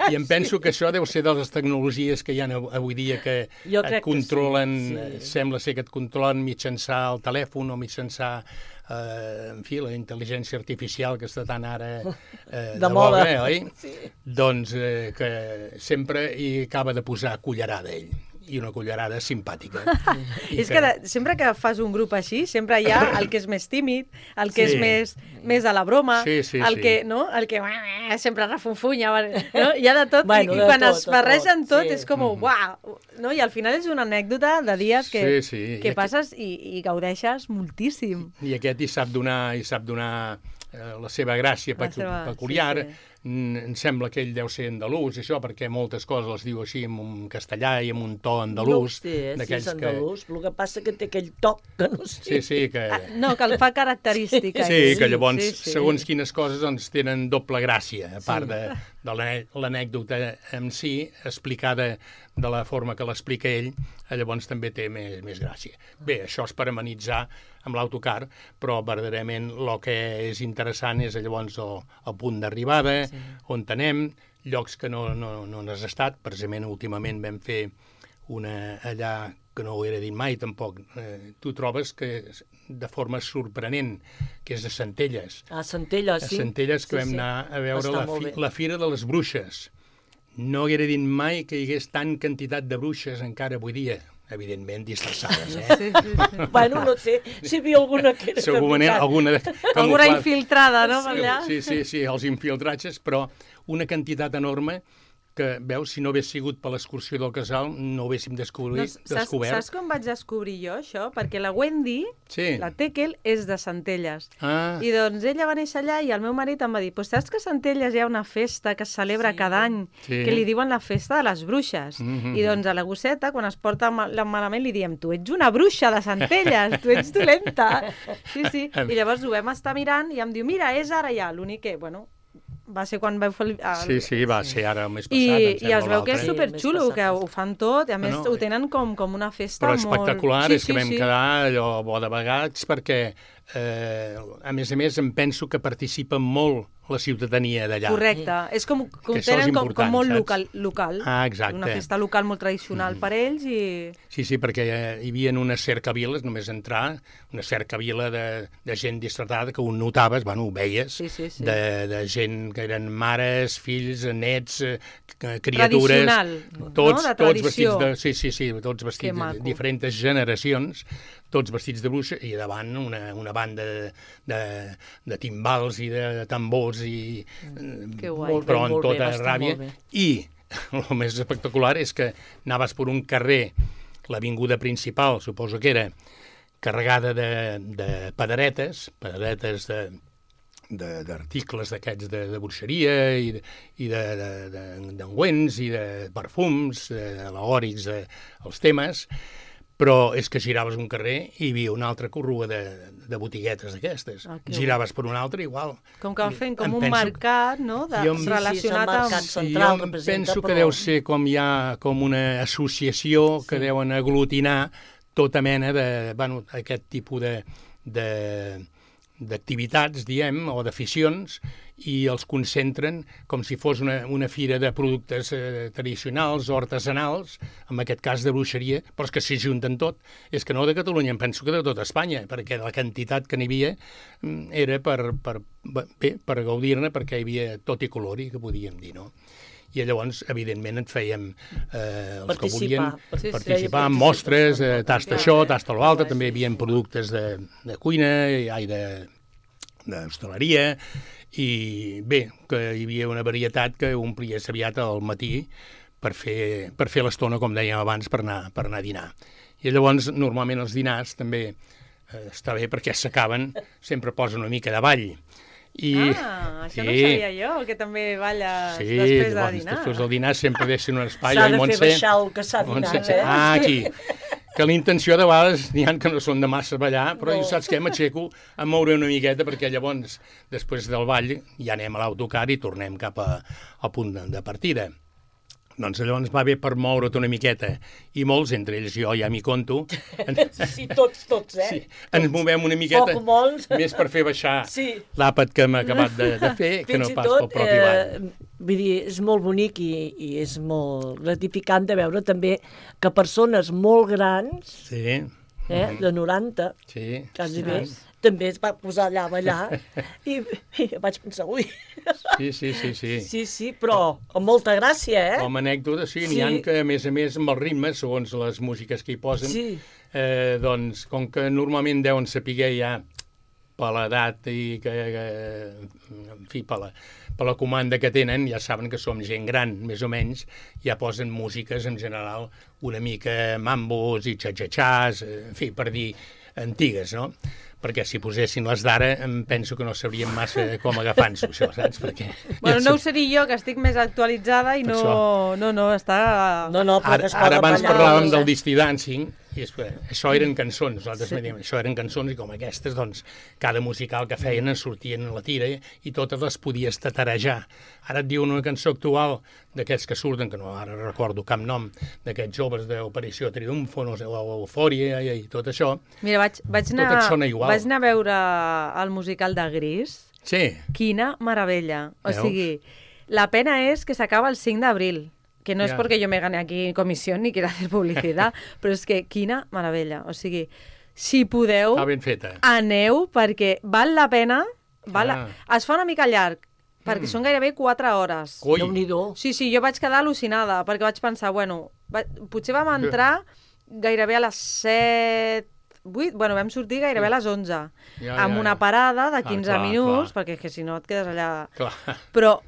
I em penso que això deu ser de les tecnologies que hi ha avui dia que Jo et crec que controlen, sí, sí. eh, sembla ser que et controlen mitjançar el telèfon o mitjançar, eh, en fi, la intel·ligència artificial que està tan ara eh, de, De moda. boga, oi? Sí. Doncs eh, que sempre hi acaba de posar cullerada ell. i una cullerada simpàtica. I És que de, sempre que fas un grup així, sempre hi ha el que és més tímid, el que Sí. és més, més a la broma, Sí, sí, el sí. que, no? el que sempre refunfunya, no? Hi ha de tot, Bueno, i, i de quan tot, es de barregen tot, tot, sí. és com, uau, no? I al final és una anècdota de dies que, Sí, sí. I que aquí- passes i, i gaudeixes moltíssim. I aquest hi sap donar, hi sap donar eh, la seva gràcia La pecu seva- peculiar. sí, sí. Mm, Em sembla que ell deu ser andalús, això, perquè moltes coses les diu així en un castellà i amb un to andalús. No ho sé, eh, si és d'aquells andalús, el que passa que té aquell toc que no sé. Sí, sí, que... Ah, no, que el fa característica. Sí, ell. que llavors, Sí, sí. segons quines coses, doncs, tenen doble gràcia, a part de, de l'ane- l'anècdota en si, explicada de la forma que l'explica ell, eh, llavors també té més, més gràcia. Bé, això és per amenitzar amb l'autocar, però verdaderament el que és interessant és llavors el, el punt d'arribada, sí. on anem, llocs que no, no, no n'has estat. Precisament últimament vam fer una allà que no ho era dit mai tampoc. Eh, tu trobes que de forma sorprenent, que és a Centelles. A Centelles, sí. A Centelles que Sí, vam sí. anar a veure Està la, molt fi, bé. la Fira de les Bruixes. No haguera dit mai que hi hagués tant quantitat de bruixes encara avui dia, evidentment disfressades, eh? Sí, sí, sí. Bueno, no sé si hi havia alguna que era de Segurament veritat. alguna... de- Alguna camuflada. infiltrada, no, per allà? Sí, sí, sí, els infiltratges, però una quantitat enorme que, veus, si no hagués sigut per l'excursió del casal, no ho haguéssim descobrit, No, saps, descobert. saps com vaig descobrir jo això? Perquè la Wendy, Sí. la Tekel, és de Centelles. Ah, I doncs ella va néixer allà i el meu marit em va dir, pues saps que a Centelles hi ha una festa que es celebra Sí. cada any, Sí. que li diuen la festa de les bruixes. Mhm. I doncs a la gosseta, quan es porta ma- la malament, li diem, tu ets una bruixa de Centelles, tu ets dolenta. Sí, sí. I llavors ho vam estar mirant i em diu, mira, és ara ja. L'únic que, bueno, va ser quan vau fer el... el- sí, sí, va ser ara el mes passat, I, em i sembla, es veu que és Sí, l'altre. el mes superxulo, passat, que sí. ho fan tot, i a més No, no, ho tenen com, com una festa Però molt... espectacular, Sí, és que sí, vam sí. quedar allò bo de vegats perquè, eh, a més a més, em penso que participa molt la ciutadania d'allà. Correcte, és com que ho Que això és tenen com, important, com molt saps? local, local. Ah, exacte. Una festa local molt tradicional per ells i... Sí, sí, perquè eh, hi havia unes cercaviles, només entrar, una cercavila de, de gent disfratada que ho notaves, bueno, ho veies, Sí, sí, sí. De, de gent que eren mares, fills, nets, eh, c- criatures... Tradicional, tots, no? De tots vestits tradició. de... Sí, sí, sí, tots vestits de maco. diferents generacions, tots vestits de bruixa, i davant una, una banda de, de, de timbals i de tambors i... Que guai. Molt bé, però en molt bé, tota va estar ràbia. molt bé. I el més espectacular és que anaves per un carrer, l'avinguda principal, suposo que era, carregada de, de padaretes, padaretes de de- d'articles d'aquests de, de bruixeria i, de- i d'engüents de, de, d'engüents i de perfums, de, al·legòrics de, els temes, però és que giraves un carrer i hi havia una altra corrua de, de botiguetes d'aquestes. Ah, que Giraves per un altre, igual. Com que van fent com Em un penso- mercat, no?, de, Jo em- Sí, sí, relacionat és el mercat amb... central. jo em representa, penso que però- deu ser com hi ha com una associació que Sí. deuen aglutinar tota mena de, bueno, aquest tipus de, de, d'activitats, diem, o d'aficions, i els concentren com si fos una, una fira de productes eh, tradicionals o artesanals, en aquest cas de bruixeria, però és que s'hi junten tot. És que no de Catalunya, em penso que de tota Espanya, perquè la quantitat que n'hi havia mm, era per, per, bé, per gaudir-ne, perquè hi havia tot i colori, que podíem dir, no? I llavors, evidentment, et fèiem eh, els que Participar. volien Sí, sí. participar en Feia mostres, eh, participació. tasta això, tasta l'altre, també hi havia productes de, de cuina, i ai, de d'hostaleria, i bé, que hi havia una varietat que omplies aviat al matí per fer, per fer l'estona, com dèiem abans, per anar, per anar a dinar. I llavors, normalment, els dinars també eh, està bé perquè s'acaben, sempre posen una mica de ball. I, Ah, això no ho sabia jo, que també balles sí, després de llavors, dinar. després del dinar sempre deixen un espai. S'ha oi, de fer Montse? baixar el que s'ha dinat, Montse, eh? Ah, aquí. Que la intenció de vegades n'hi ha que no són de massa ballar, però No. jo saps què? M'aixeco a moure una miqueta perquè llavors, després del ball, ja anem a l'autocar i tornem cap a, al punt de, de partida. Doncs llavors va bé per moure't una miqueta. I molts, entre ells jo ja m'hi conto, Sí, tots, tots, eh? sí, ens movem una miqueta Poc o molt. més per fer baixar Sí. l'àpat que hem acabat de, de fer que Fins no i pas tot, pel propi ball. eh, vull dir, és molt bonic i, i és molt gratificant de veure també que persones molt grans Sí. eh, de noranta, Sí. quasi sí. bé, també es va posar allà a ballar i, i vaig pensar, ui, Sí, sí, sí, sí. sí, sí, però amb molta gràcia, eh? Com a anècdota, sí, n'hi Sí. ha que, a més a més, amb els ritmes, segons les músiques que hi posen, Sí. eh, doncs, com que normalment deuen saber ja per l'edat i que, que, en fi, per la, per la comanda que tenen, ja saben que som gent gran, més o menys, ja posen músiques, en general, una mica mambos i xa-xa-xàs, en fi, per dir antigues, no? Perquè si posessin les d'ara, em penso que no sabríem massa com agafar-nos, això, saps? Perquè... Bueno, ja no ho sap- seré jo, que estic més actualitzada i Per no, això. no, no, està... No, no, però Ara, es ara poden abans ballar, parlàvem doncs, del eh? Disty Dancing, i és, això eren cançons, nosaltres sí. diem, això eren cançons, i com aquestes, doncs, cada musical que feien en sortien a la tira i totes les podies tatarejar. Ara et diuen una cançó actual d'aquests que surten, que no ara recordo cap nom, d'aquests joves d'Operació Triomfo, no sé, o Eufòria i, i tot això. Mira, vaig, vaig, Tot anar, et sona igual. vaig anar a veure el musical de Gris. Sí, Quina meravella. O Veus? sigui, la pena és que s'acaba el cinc d'abril, que no Ja. es porque yo me gane aquí comisión ni quiera hacer publicidad, però és que quina meravella. O sigui, si podeu, està ben feta. aneu, perquè val la pena. Val Ah. la... Es fa una mica llarg, perquè Mm. són gairebé quatre hores. Ui, Déu-n'hi-do. Sí, sí, jo vaig quedar al·lucinada, perquè vaig pensar, bueno, va... potser vam entrar gairebé a les set, vuit, bueno, vam sortir gairebé a les onze, Ja, amb ja, una ja. parada de Ah, quinze clar, minuts, clar. perquè és que si no et quedes allà... clar. Però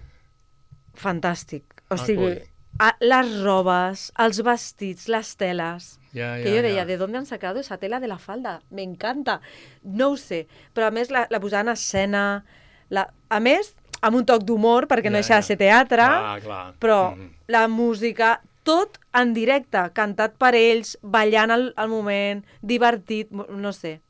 fantàstic. O Ah, sigui, coi. a, les robes, els vestits, les teles... Ja, ja, que yo deia, ja. ¿de dónde han sacado esa tela de la falda? Me encanta. No ho sé, però a més la, la posaven a escena, la... a més, amb un toc d'humor, perquè no Ja, deixa de ja. ser teatre, Clar, clar. però Mhm. la música, tot en directe, cantat per ells, ballant al, al moment, divertit, mo- no sé,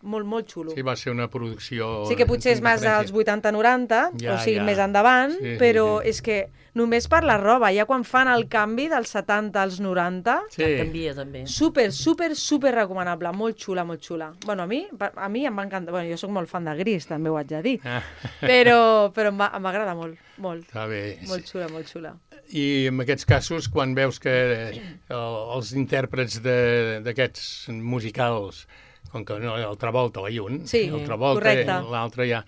molt, molt xulo. Sí, va ser una producció... Sí que potser és més dels vuitanta noranta, Ja, o sigui, ja. més endavant, Sí, sí, però sí. és que només per la roba, ja quan fan el canvi dels setanta als noranta, Sí. Canvia, també. super, super, super recomanable, molt xula, molt xula. Bueno, a mi, a mi em va encantar, bueno, jo sóc molt fan de Gris, també ho haig de dir, Ah, però, però em va- em m'agrada molt, molt, està bé. molt xula, molt xula. I en aquests casos, quan veus que eh, els intèrprets de- d'aquests musicals, com que no, el Travolta, la un, Sí, el Travolta, correcte. l'altre ja...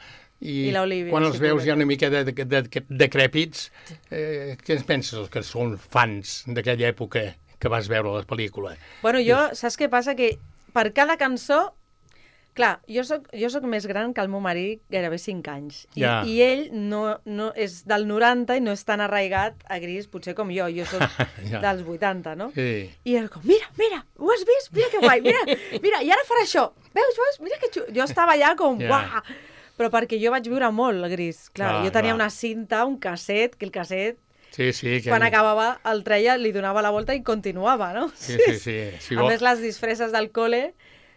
I l'Olivia, quan els sí, veus correcte. ja una mica de, de, de, de, decrèpits, eh, què ens penses, els que són fans d'aquella època que vas veure la pel·lícula? Bueno, jo, saps què passa? Que per cada cançó, clar, jo soc, jo soc més gran que el meu marit gairebé cinc anys. I, Ja. i ell no, no és del noranta i no és tan arraigat a Gris, potser com jo. Jo soc Ja. dels vuitanta, no? Sí. I ell com, mira, mira, ho has vist? Mira que guai, mira, mira, i ara farà això. Veus, veus? Mira que xulo. Jo estava allà com, Ja. uah! Però perquè jo vaig viure molt el Gris. Clar, Clar, jo tenia clar. una cinta, un casset, que el casset, Sí, sí. Que... quan acabava, el treia, li donava la volta i continuava, no? Sí, sí, sí. Si A vol... més, les disfresses del col·le,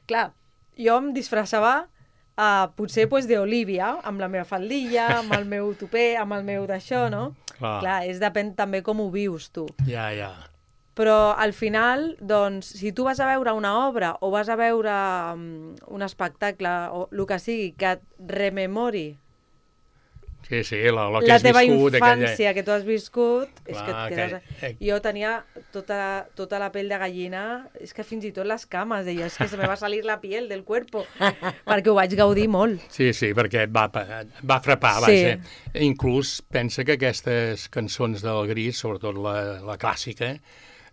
clar, jo em disfressava uh, potser pues, d'Olivia, amb la meva faldilla, amb el meu tupé, amb el meu d'això, no? Clar. Clar, és depèn també com ho vius tu. Ja, ja. Però al final, doncs, si tu vas a veure una obra o vas a veure um, un espectacle o el que sigui que et rememori Sí, sí, la, la que la has teva viscut... infància que tu has viscut, és que Clar, et quedes... que- eh. Jo tenia tota, tota la pell de gallina, és que fins i tot les cames, deia, és que se me va salir la piel del cuerpo, perquè ho vaig gaudir molt. Sí, sí, perquè et va, et va frapar, Sí. vaja. Inclús pensa que aquestes cançons del Gris, sobretot la, la clàssica,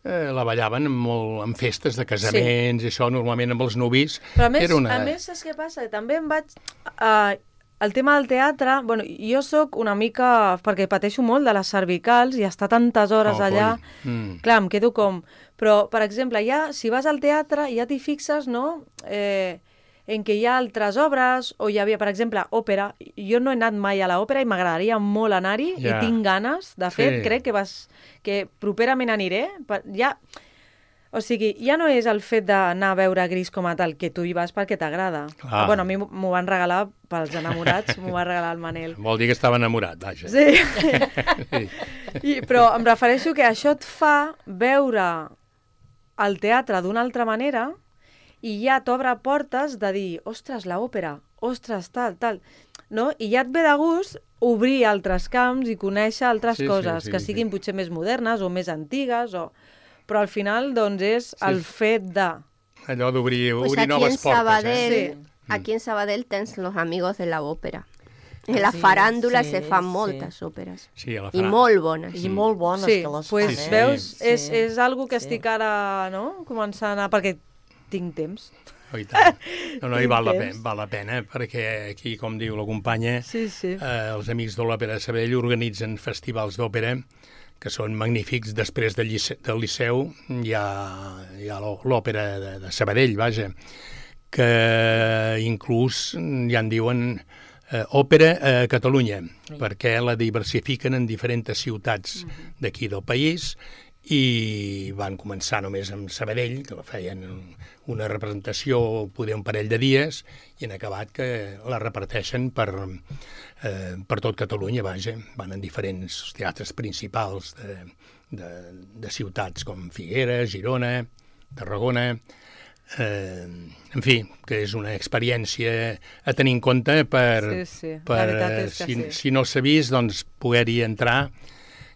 eh, la ballaven en, molt, en festes de casaments i això, normalment amb els nuvis. Però a més, Era una... a més saps què passa? També em vaig... Uh, el tema del teatre, bueno, jo sóc una mica... perquè pateixo molt de les cervicals i estar tantes hores Oh, allà... coi. Mm. Clar, em quedo com... Però, per exemple, ja, si vas al teatre, ja t'hi fixes, no?, eh, en què hi ha altres obres, o hi havia, per exemple, òpera. Jo no he anat mai a l'òpera i m'agradaria molt anar-hi, Ja. i tinc ganes. De fet, Sí. crec que, vas, que properament aniré. Per, ja, o sigui, ja no és el fet d'anar a veure Gris com a tal, que tu hi vas perquè t'agrada. Clar. Bueno, a mi m'ho van regalar pels enamorats, m'ho va regalar el Manel. Vol dir que estava enamorat, vaja. Sí. Sí. I, però em refereixo que això et fa veure el teatre d'una altra manera i ja t'obre portes de dir, ostres, l'òpera, ostres, tal, tal, no? I ja et ve de gust obrir altres camps i conèixer altres Sí, sí, coses, sí, que sí. siguin potser més modernes o més antigues, o... però al final, doncs, és Sí, el sí. fet de... allò d'obrir Pues obrir aquí en noves portes. Sabadell, Eh? aquí en Sabadell tens los amigos de la ópera. En la Sí, faràndula sí, se fan sí. moltes òperes. Sí, a la I Fran- molt bones. I molt bones Sí, que les pues, fan, eh? veus, Sí. és, Sí. és algo que Sí. estic ara, no?, començant a... perquè tinc temps. Oh, i tant. No, no, i val la, Tinc pena, temps. val la pena, perquè aquí, com diu la companya, Sí, sí. eh, els amics de l'Òpera de Sabadell organitzen festivals d'òpera que són magnífics. Després del Liceu, del Liceu hi ha, hi ha l'ò- l'Òpera de, de Sabadell, vaja, que inclús ja en diuen eh, òpera a Catalunya, perquè la diversifiquen en diferents ciutats d'aquí del país i van començar només amb Sabadell, que la feien una representació, poder un parell de dies, i han acabat que la reparteixen per, eh, per tot Catalunya, vaja. Van en diferents teatres principals de, de, de ciutats com Figueres, Girona, Tarragona... Eh, en fi, que és una experiència a tenir en compte per, Sí, sí, la per veritat eh, és que si, sí. si no s'ha vist, doncs poder-hi entrar,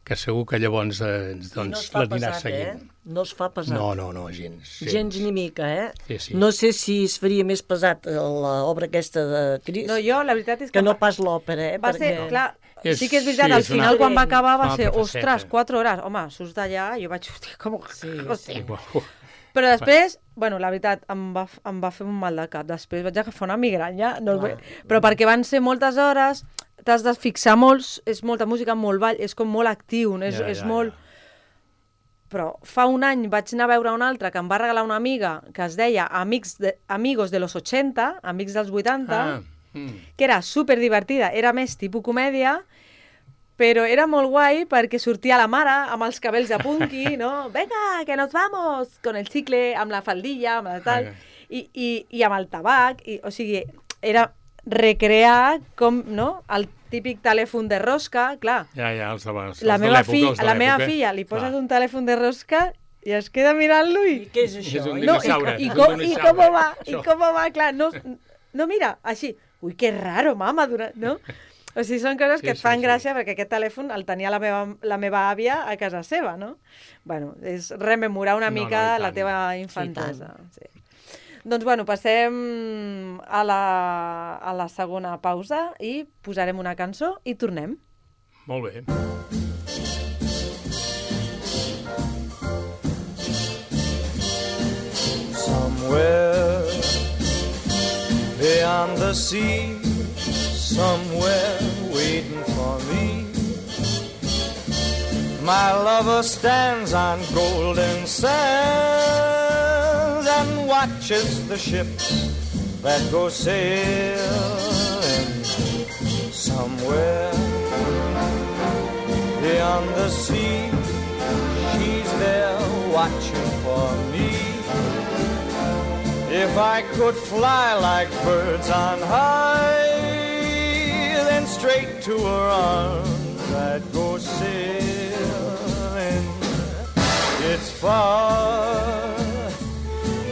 que segur que llavors eh, I no doncs, es fa l'aniràs pesat, seguint. eh? No es fa pesat. No, no, no, gens. Gens ni mica, eh? Sí, sí. No sé si es faria més pesat l'obra aquesta de Cris No, jo, la veritat és que... que no va- pas l'òpera, eh? Va ser, Perquè... clar, És- sí que és veritat, sí, al és una- final quan va acabar va una ser, altra ostres, faceta. quatre hores. Home, surts d'allà, jo vaig, hòstia, com... Sí, hòstia. sí. Però després, bueno, la veritat, em va, em va fer un mal de cap. Després vaig agafar una migranya. No, Clar. però perquè van ser moltes hores, t'has de fixar molt, és molta música, molt ball, és com molt actiu, no? és, Ja, és ja, molt... ja. Però fa un any vaig anar a veure una altra que em va regalar una amiga que es deia Amics de, Amigos de los ochenta, Amics dels vuitanta, Ah, mm. que era super divertida, era més tipus comèdia, però era molt guai perquè sortia la mare amb els cabells de punky, no? Venga, que nos vamos! Con el chicle, amb la faldilla, amb la tal, i, i, i amb el tabac, i, o sigui, era recrear com, no?, el típic telèfon de rosca, clar. Ja, ja, els de, els La de meva, l'època, fi, els de la meva l'època. filla li poses Clar. un telèfon de rosca i es queda mirant-lo i... I què és això? És un No, dinosaure, i, i, és un com, i dinosaure, com va, i això. com va, clar, no, no mira, així, ui, que raro, mama, dura, no? O sigui, són coses Sí, que et sí, fan sí. gràcia perquè aquest telèfon el tenia la meva, la meva àvia a casa seva, no? Bueno, és rememorar una No, no, mica i la tant. teva infantesa. Sí, doncs, bueno, passem a la, a la segona pausa i posarem una cançó i tornem. Molt bé. Somewhere beyond the sea, somewhere waiting for me, my lover stands on golden sands and watches the ships that go sailing. Somewhere beyond the sea, she's there watching for me. If I could fly like birds on high, then straight to her arms I'd go sailing. It's far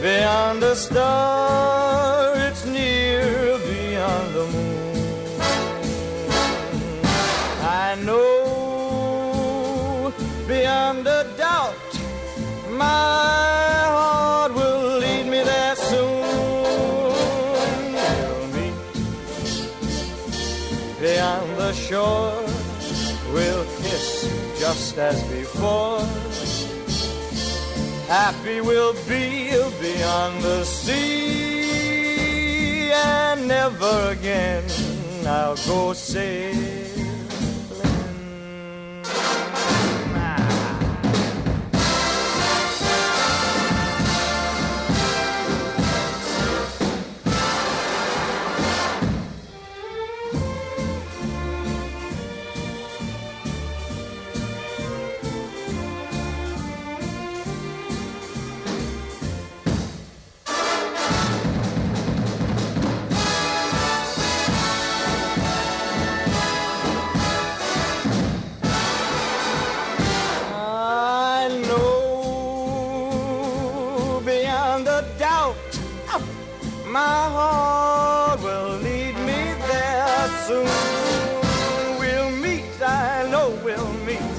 beyond a star, it's near beyond the moon. I know beyond a doubt my heart will lead me there soon. We'll meet beyond the shore, we'll kiss just as before. Happy we'll be beyond the sea, and never again I'll go sailing. I know beyond a doubt my heart will lead me there soon. We'll meet, I know we'll meet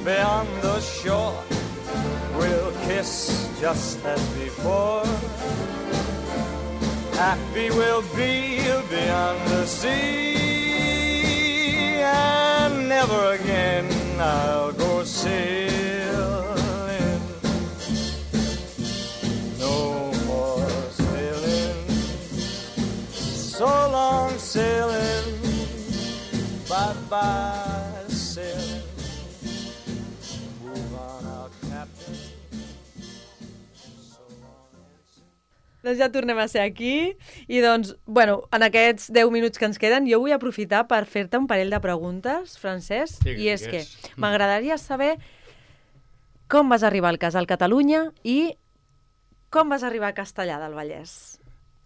beyond the shore. We'll kiss just as before. Happy we'll be beyond the sea, and never again I'll go sailing. No more sailing, so long sailing, bye-bye sailing. Move on out, Captain. Doncs ja tornem a ser aquí i doncs, bueno, en aquests deu minuts que ens queden jo vull aprofitar per fer-te un parell de preguntes, Francesc, Digues, i és digues. que m'agradaria saber com vas arribar al Casal Catalunya i com vas arribar a Castellar del Vallès.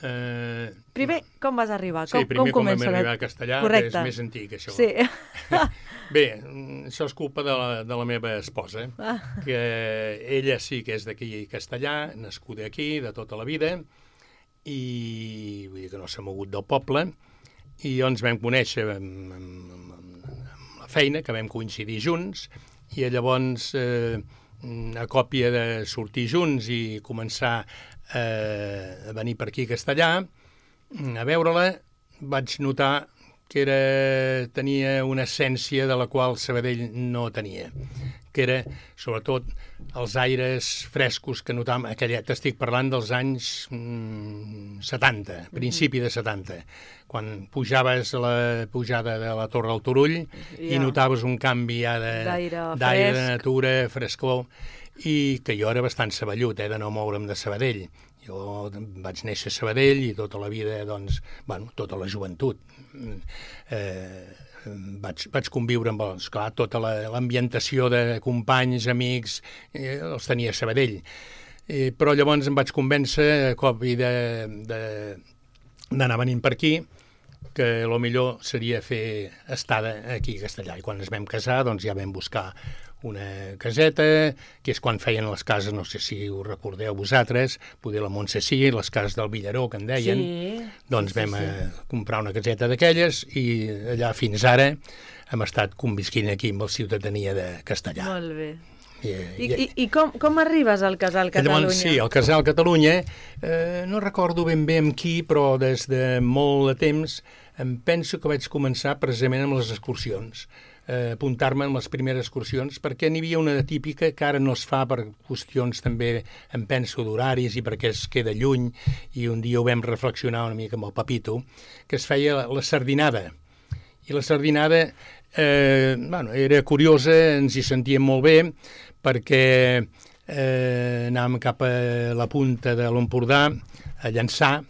Eh, Primer, com vas arribar? Sí, com, primer com, comença? vam arribar a Castellar, Correcte. que és més antic, això. Sí. Bé, això és culpa de la, de la meva esposa, Ah. que ella sí que és d'aquí Castellar, nascuda aquí, de tota la vida, i vull dir que no s'ha mogut del poble, i ens vam conèixer amb, amb, amb, amb la feina, que vam coincidir junts, i llavors, eh, a còpia de sortir junts i començar eh, a venir per aquí a Castellar, a veure-la, vaig notar que era, tenia una essència de la qual Sabadell no tenia, que era, sobretot, els aires frescos que notàvem, aquella, t'estic parlant dels anys mm, setanta, principi de setanta, quan pujaves a la pujada de la Torre del Turull Ja. i notaves un canvi ja de, D'aire d'aire, de fresc. natura, frescor, i que jo era bastant saballut, eh, de no moure'm de Sabadell. Jo vaig néixer a Sabadell i tota la vida, doncs, bueno, tota la joventut, eh, vaig, vaig conviure amb els, clar, tota la- l'ambientació de companys, amics, eh, els tenia a Sabadell. Eh, però llavors em vaig convèncer, a cop i de, de, d'anar venint per aquí, que el millor seria fer estada aquí a Castellar. I quan ens vam casar, doncs ja vam buscar una caseta, que és quan feien les cases, no sé si ho recordeu vosaltres, poder la Montse sí, les cases del Villaró, que en deien. Sí, Doncs sí, sí, vam sí. eh, comprar una caseta d'aquelles i allà fins ara hem estat convisquint aquí amb la ciutadania de Castellar. Molt bé. I, I, i, i com, com arribes al Casal Catalunya? Llavors, sí, el Casal Catalunya, eh, no recordo ben bé amb qui, però des de molt de temps em penso que vaig començar precisament amb les excursions, eh, apuntar-me en les primeres excursions, perquè n'hi havia una típica que ara no es fa per qüestions també, em penso, d'horaris i perquè es queda lluny, i un dia ho vam reflexionar una mica amb el Papito, que es feia la, la sardinada. I la sardinada eh, bueno, era curiosa, ens hi sentíem molt bé, perquè eh, anàvem cap a la punta de l'Empordà a llançar,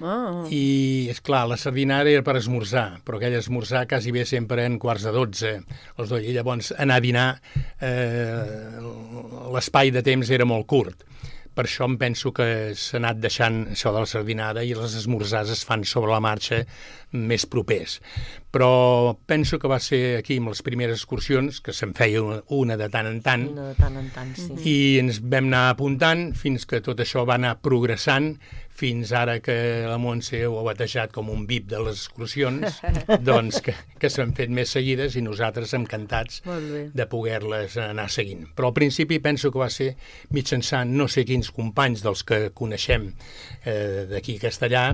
Oh. i, és clar, la sardinada era per esmorzar, però aquell esmorzar quasi bé sempre en quarts de dotze, els dos, i llavors anar a dinar, eh, l'espai de temps era molt curt. Per això em penso que s'ha anat deixant això de la sardinada i les esmorzars es fan sobre la marxa més propers. Però penso que va ser aquí amb les primeres excursions, que se'n feia una, una de tant en tant, De tant en tant, sí. i ens vam anar apuntant fins que tot això va anar progressant, fins ara que la Montse ho ha batejat com un V I P de les excursions, doncs que, que s'han fet més seguides i nosaltres encantats Molt bé. de poder-les anar seguint. Però al principi penso que va ser mitjançant no sé quins companys dels que coneixem eh, d'aquí a Castellar,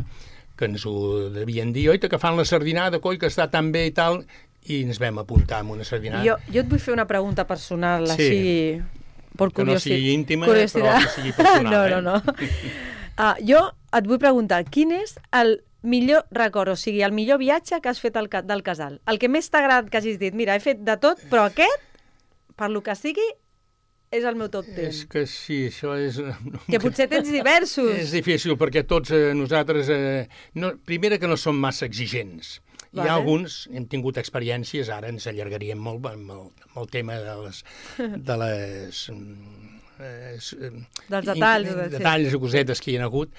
que ens ho devien dir, oi, que fan la sardinada, coi, que està tan bé i tal, i ens vam apuntar amb una sardinada. Jo, jo et vull fer una pregunta personal, Sí. així, per Que no curiosi- sigui íntima, curiositat. però que sigui personal, no, eh? no, no. Uh, jo et vull preguntar, quin és el millor record, o sigui, el millor viatge que has fet al, ca- del casal? El que més t'ha agradat que hagis dit, mira, he fet de tot, però aquest, per lo que sigui, és el meu top És ten. que sí, això és... Que potser tens diversos. És difícil, perquè tots eh, nosaltres... Eh, no, primera, que no som massa exigents. Hi Vale. ha alguns, hem tingut experiències, ara ens allargaríem molt amb el, amb el tema de les... De les mm, eh, s- eh, Dels detalls, in- sí. detalls i cosetes que hi ha hagut,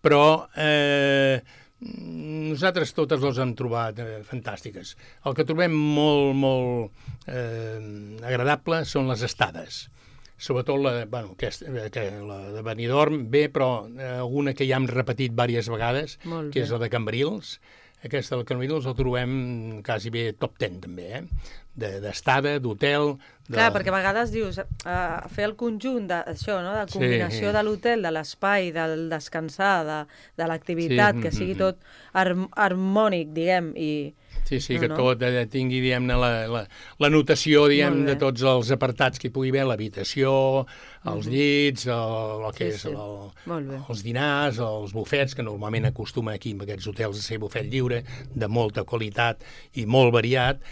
però eh, nosaltres totes les hem trobat eh, fantàstiques. El que trobem molt, molt eh, agradable són les estades. Sobretot la, bueno, aquesta, que la de Benidorm, bé, però eh, alguna que ja hem repetit diverses vegades, Molt que bé. és la de Cambrils, aquesta del Carmelitos el trobem quasi bé top ten, també, eh? D'estada, d'hotel... De... Clar, perquè a vegades dius, uh, fer el conjunt d'això, no? De combinació Sí. de l'hotel, de l'espai, del descansar, de, de l'activitat, Sí, que sigui mm, mm. tot harm harmònic, diguem, i... Sí, sí, No, que no. tot eh, tingui, diguem-ne, la, la, la notació, diguem, Molt bé. de tots els apartats que hi pugui haver, l'habitació, els llits, el, el que Sí, és sí. el, Molt bé. els dinars, els bufets, que normalment acostuma aquí en aquests hotels a ser bufet lliure, de molta qualitat i molt variat,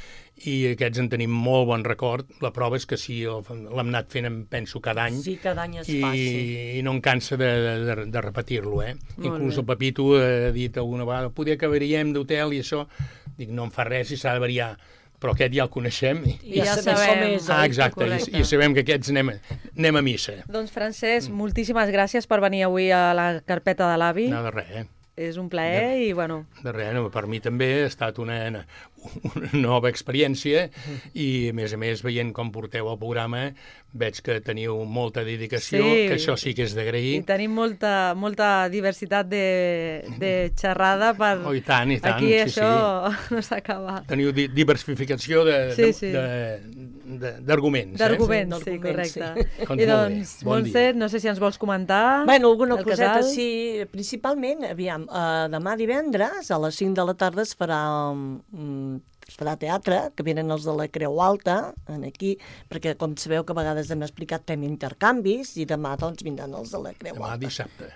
i aquests en tenim molt bon record. La prova és que sí, el- l'hem anat fent, em penso, cada any, Sí, cada any es i, fa, sí. i no em cansa de, de, de repetir-lo, eh? Molt Inclús bé. el Pepito ha dit alguna vegada, poder que variem d'hotel i això, dic, no em fa res si s'ha de variar, però aquest ja el coneixem. I, I ja sabem com és, ah, oi? exacte, i, Correcte. i sabem que aquests anem, a- anem a missa. Doncs, Francesc, moltíssimes gràcies per venir avui a la carpeta de l'avi. No, de res, eh? És un plaer i, bueno, De res, no, per mi també ha estat una, una nova experiència i, a més a més, veient com porteu el programa, veig que teniu molta dedicació, Sí. que això sí que és i d'agrair. tenim molta, molta diversitat de, de xerrada per... Oh, i tant, i tant, Aquí sí, això no s'acaba. Teniu di diversificació de- Sí, de- sí. de- de- d'arguments. D'arguments, Sí, sí, d'arguments, correcte. Doncs I molt bé, doncs, bon Montse, dia. no sé si ens vols comentar Bueno, alguna del coseta, casal. sí. Principalment, aviam, uh, demà divendres a les cinc de la tarda es farà, um, es farà teatre, que venen els de la Creu Alta, en aquí, perquè com sabeu que a vegades hem explicat fem intercanvis, i demà doncs vindran els de la Creu Demà Alta. dissabte,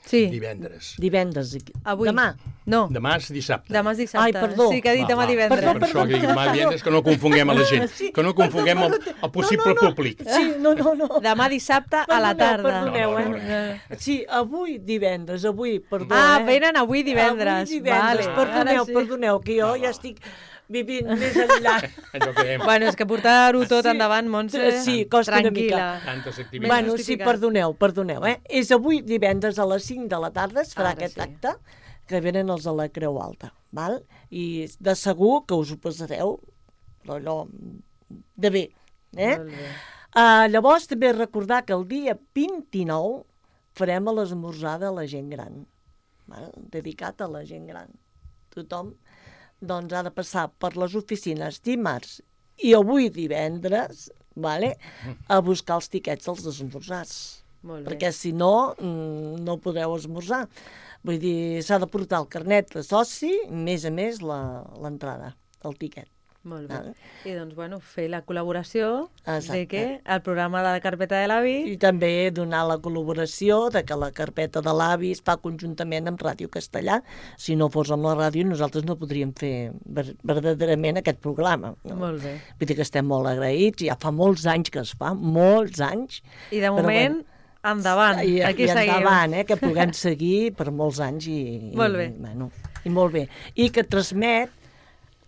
Sí, divendres. Divendres. aquí. avui. Demà. No, Demà és dissabte. demà és dissabte. Ai, perdó. Sí, que ha dit Va, demà va, divendres. Perdó, Per això que dic demà divendres, que no confonguem a la gent, Sí. que no confonguem el, el possible No, no, no. públic. Sí, no, no, no. Demà dissabte a la Perdoneu, tarda. Perdoneu, No, no, eh? Sí, avui divendres, avui, perdó, Ah, eh? venen avui divendres. Avui divendres, Vale. perdoneu, Ara sí. perdoneu, que jo ja estic vivint més enllà. Allò que dèiem, Bueno, és que portar-ho tot Sí. endavant, Montse, Sí, costa una tranquil·la. tantes Més activitats. Bueno, sí, justificat. perdoneu, perdoneu, eh? És avui divendres a les cinc de la tarda, es farà Ara aquest sí. acte, que venen els de la Creu Alta, val? I de segur que us ho passareu allò de bé, eh? Molt bé. Uh, llavors també recordar que el dia vint-i-nou farem l'esmorzar de la gent gran, val? Dedicat a la gent gran. Tothom doncs, ha de passar per les oficines dimarts i avui divendres, vale? A buscar els tiquets dels esmorzars. Molt bé. Perquè si no, mm, no podreu esmorzar. Vull dir, s'ha de portar el carnet de soci, més a més la- l'entrada, el tiquet. Molt bé. Vale. I doncs, bueno, fer la col·laboració Exacte. de que el programa de la carpeta de l'avi... I també donar la col·laboració de que la carpeta de l'avi es fa conjuntament amb Ràdio Castellà. Si no fos amb la ràdio, nosaltres no podríem fer ver verdaderament aquest programa. No? Molt bé. Vull dir que estem molt agraïts, ja fa molts anys que es fa, molts anys. I de Però moment, endavant. I, Aquí i seguim. endavant, eh, que puguem seguir per molts anys. I, Molt bé. I, bueno, i molt bé. I que transmet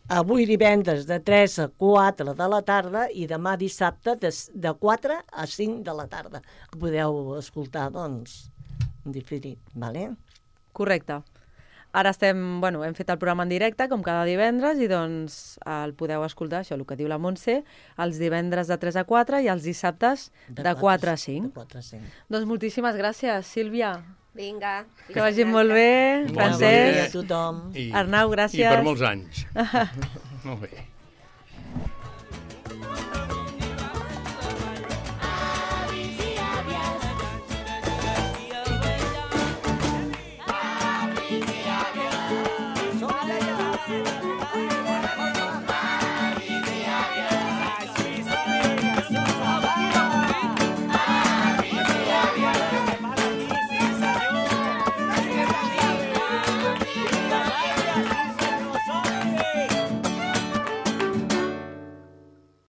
avui divendres de tres a quatre de la tarda i demà dissabte de, de quatre a cinc de la tarda. Que podeu escoltar, doncs, en diferit, vale? Correcte. Ara estem, bueno, hem fet el programa en directe, com cada divendres, i doncs el podeu escoltar, això, el que diu la Montse, els divendres de tres a quatre i els dissabtes de quatre a cinc. De quatre a cinc. Doncs moltíssimes gràcies, Sílvia. Vinga. Que vagi molt bé, Bon Bon dia a Francesc, tothom. I, Arnau, I gràcies. per molts anys. Molt bé.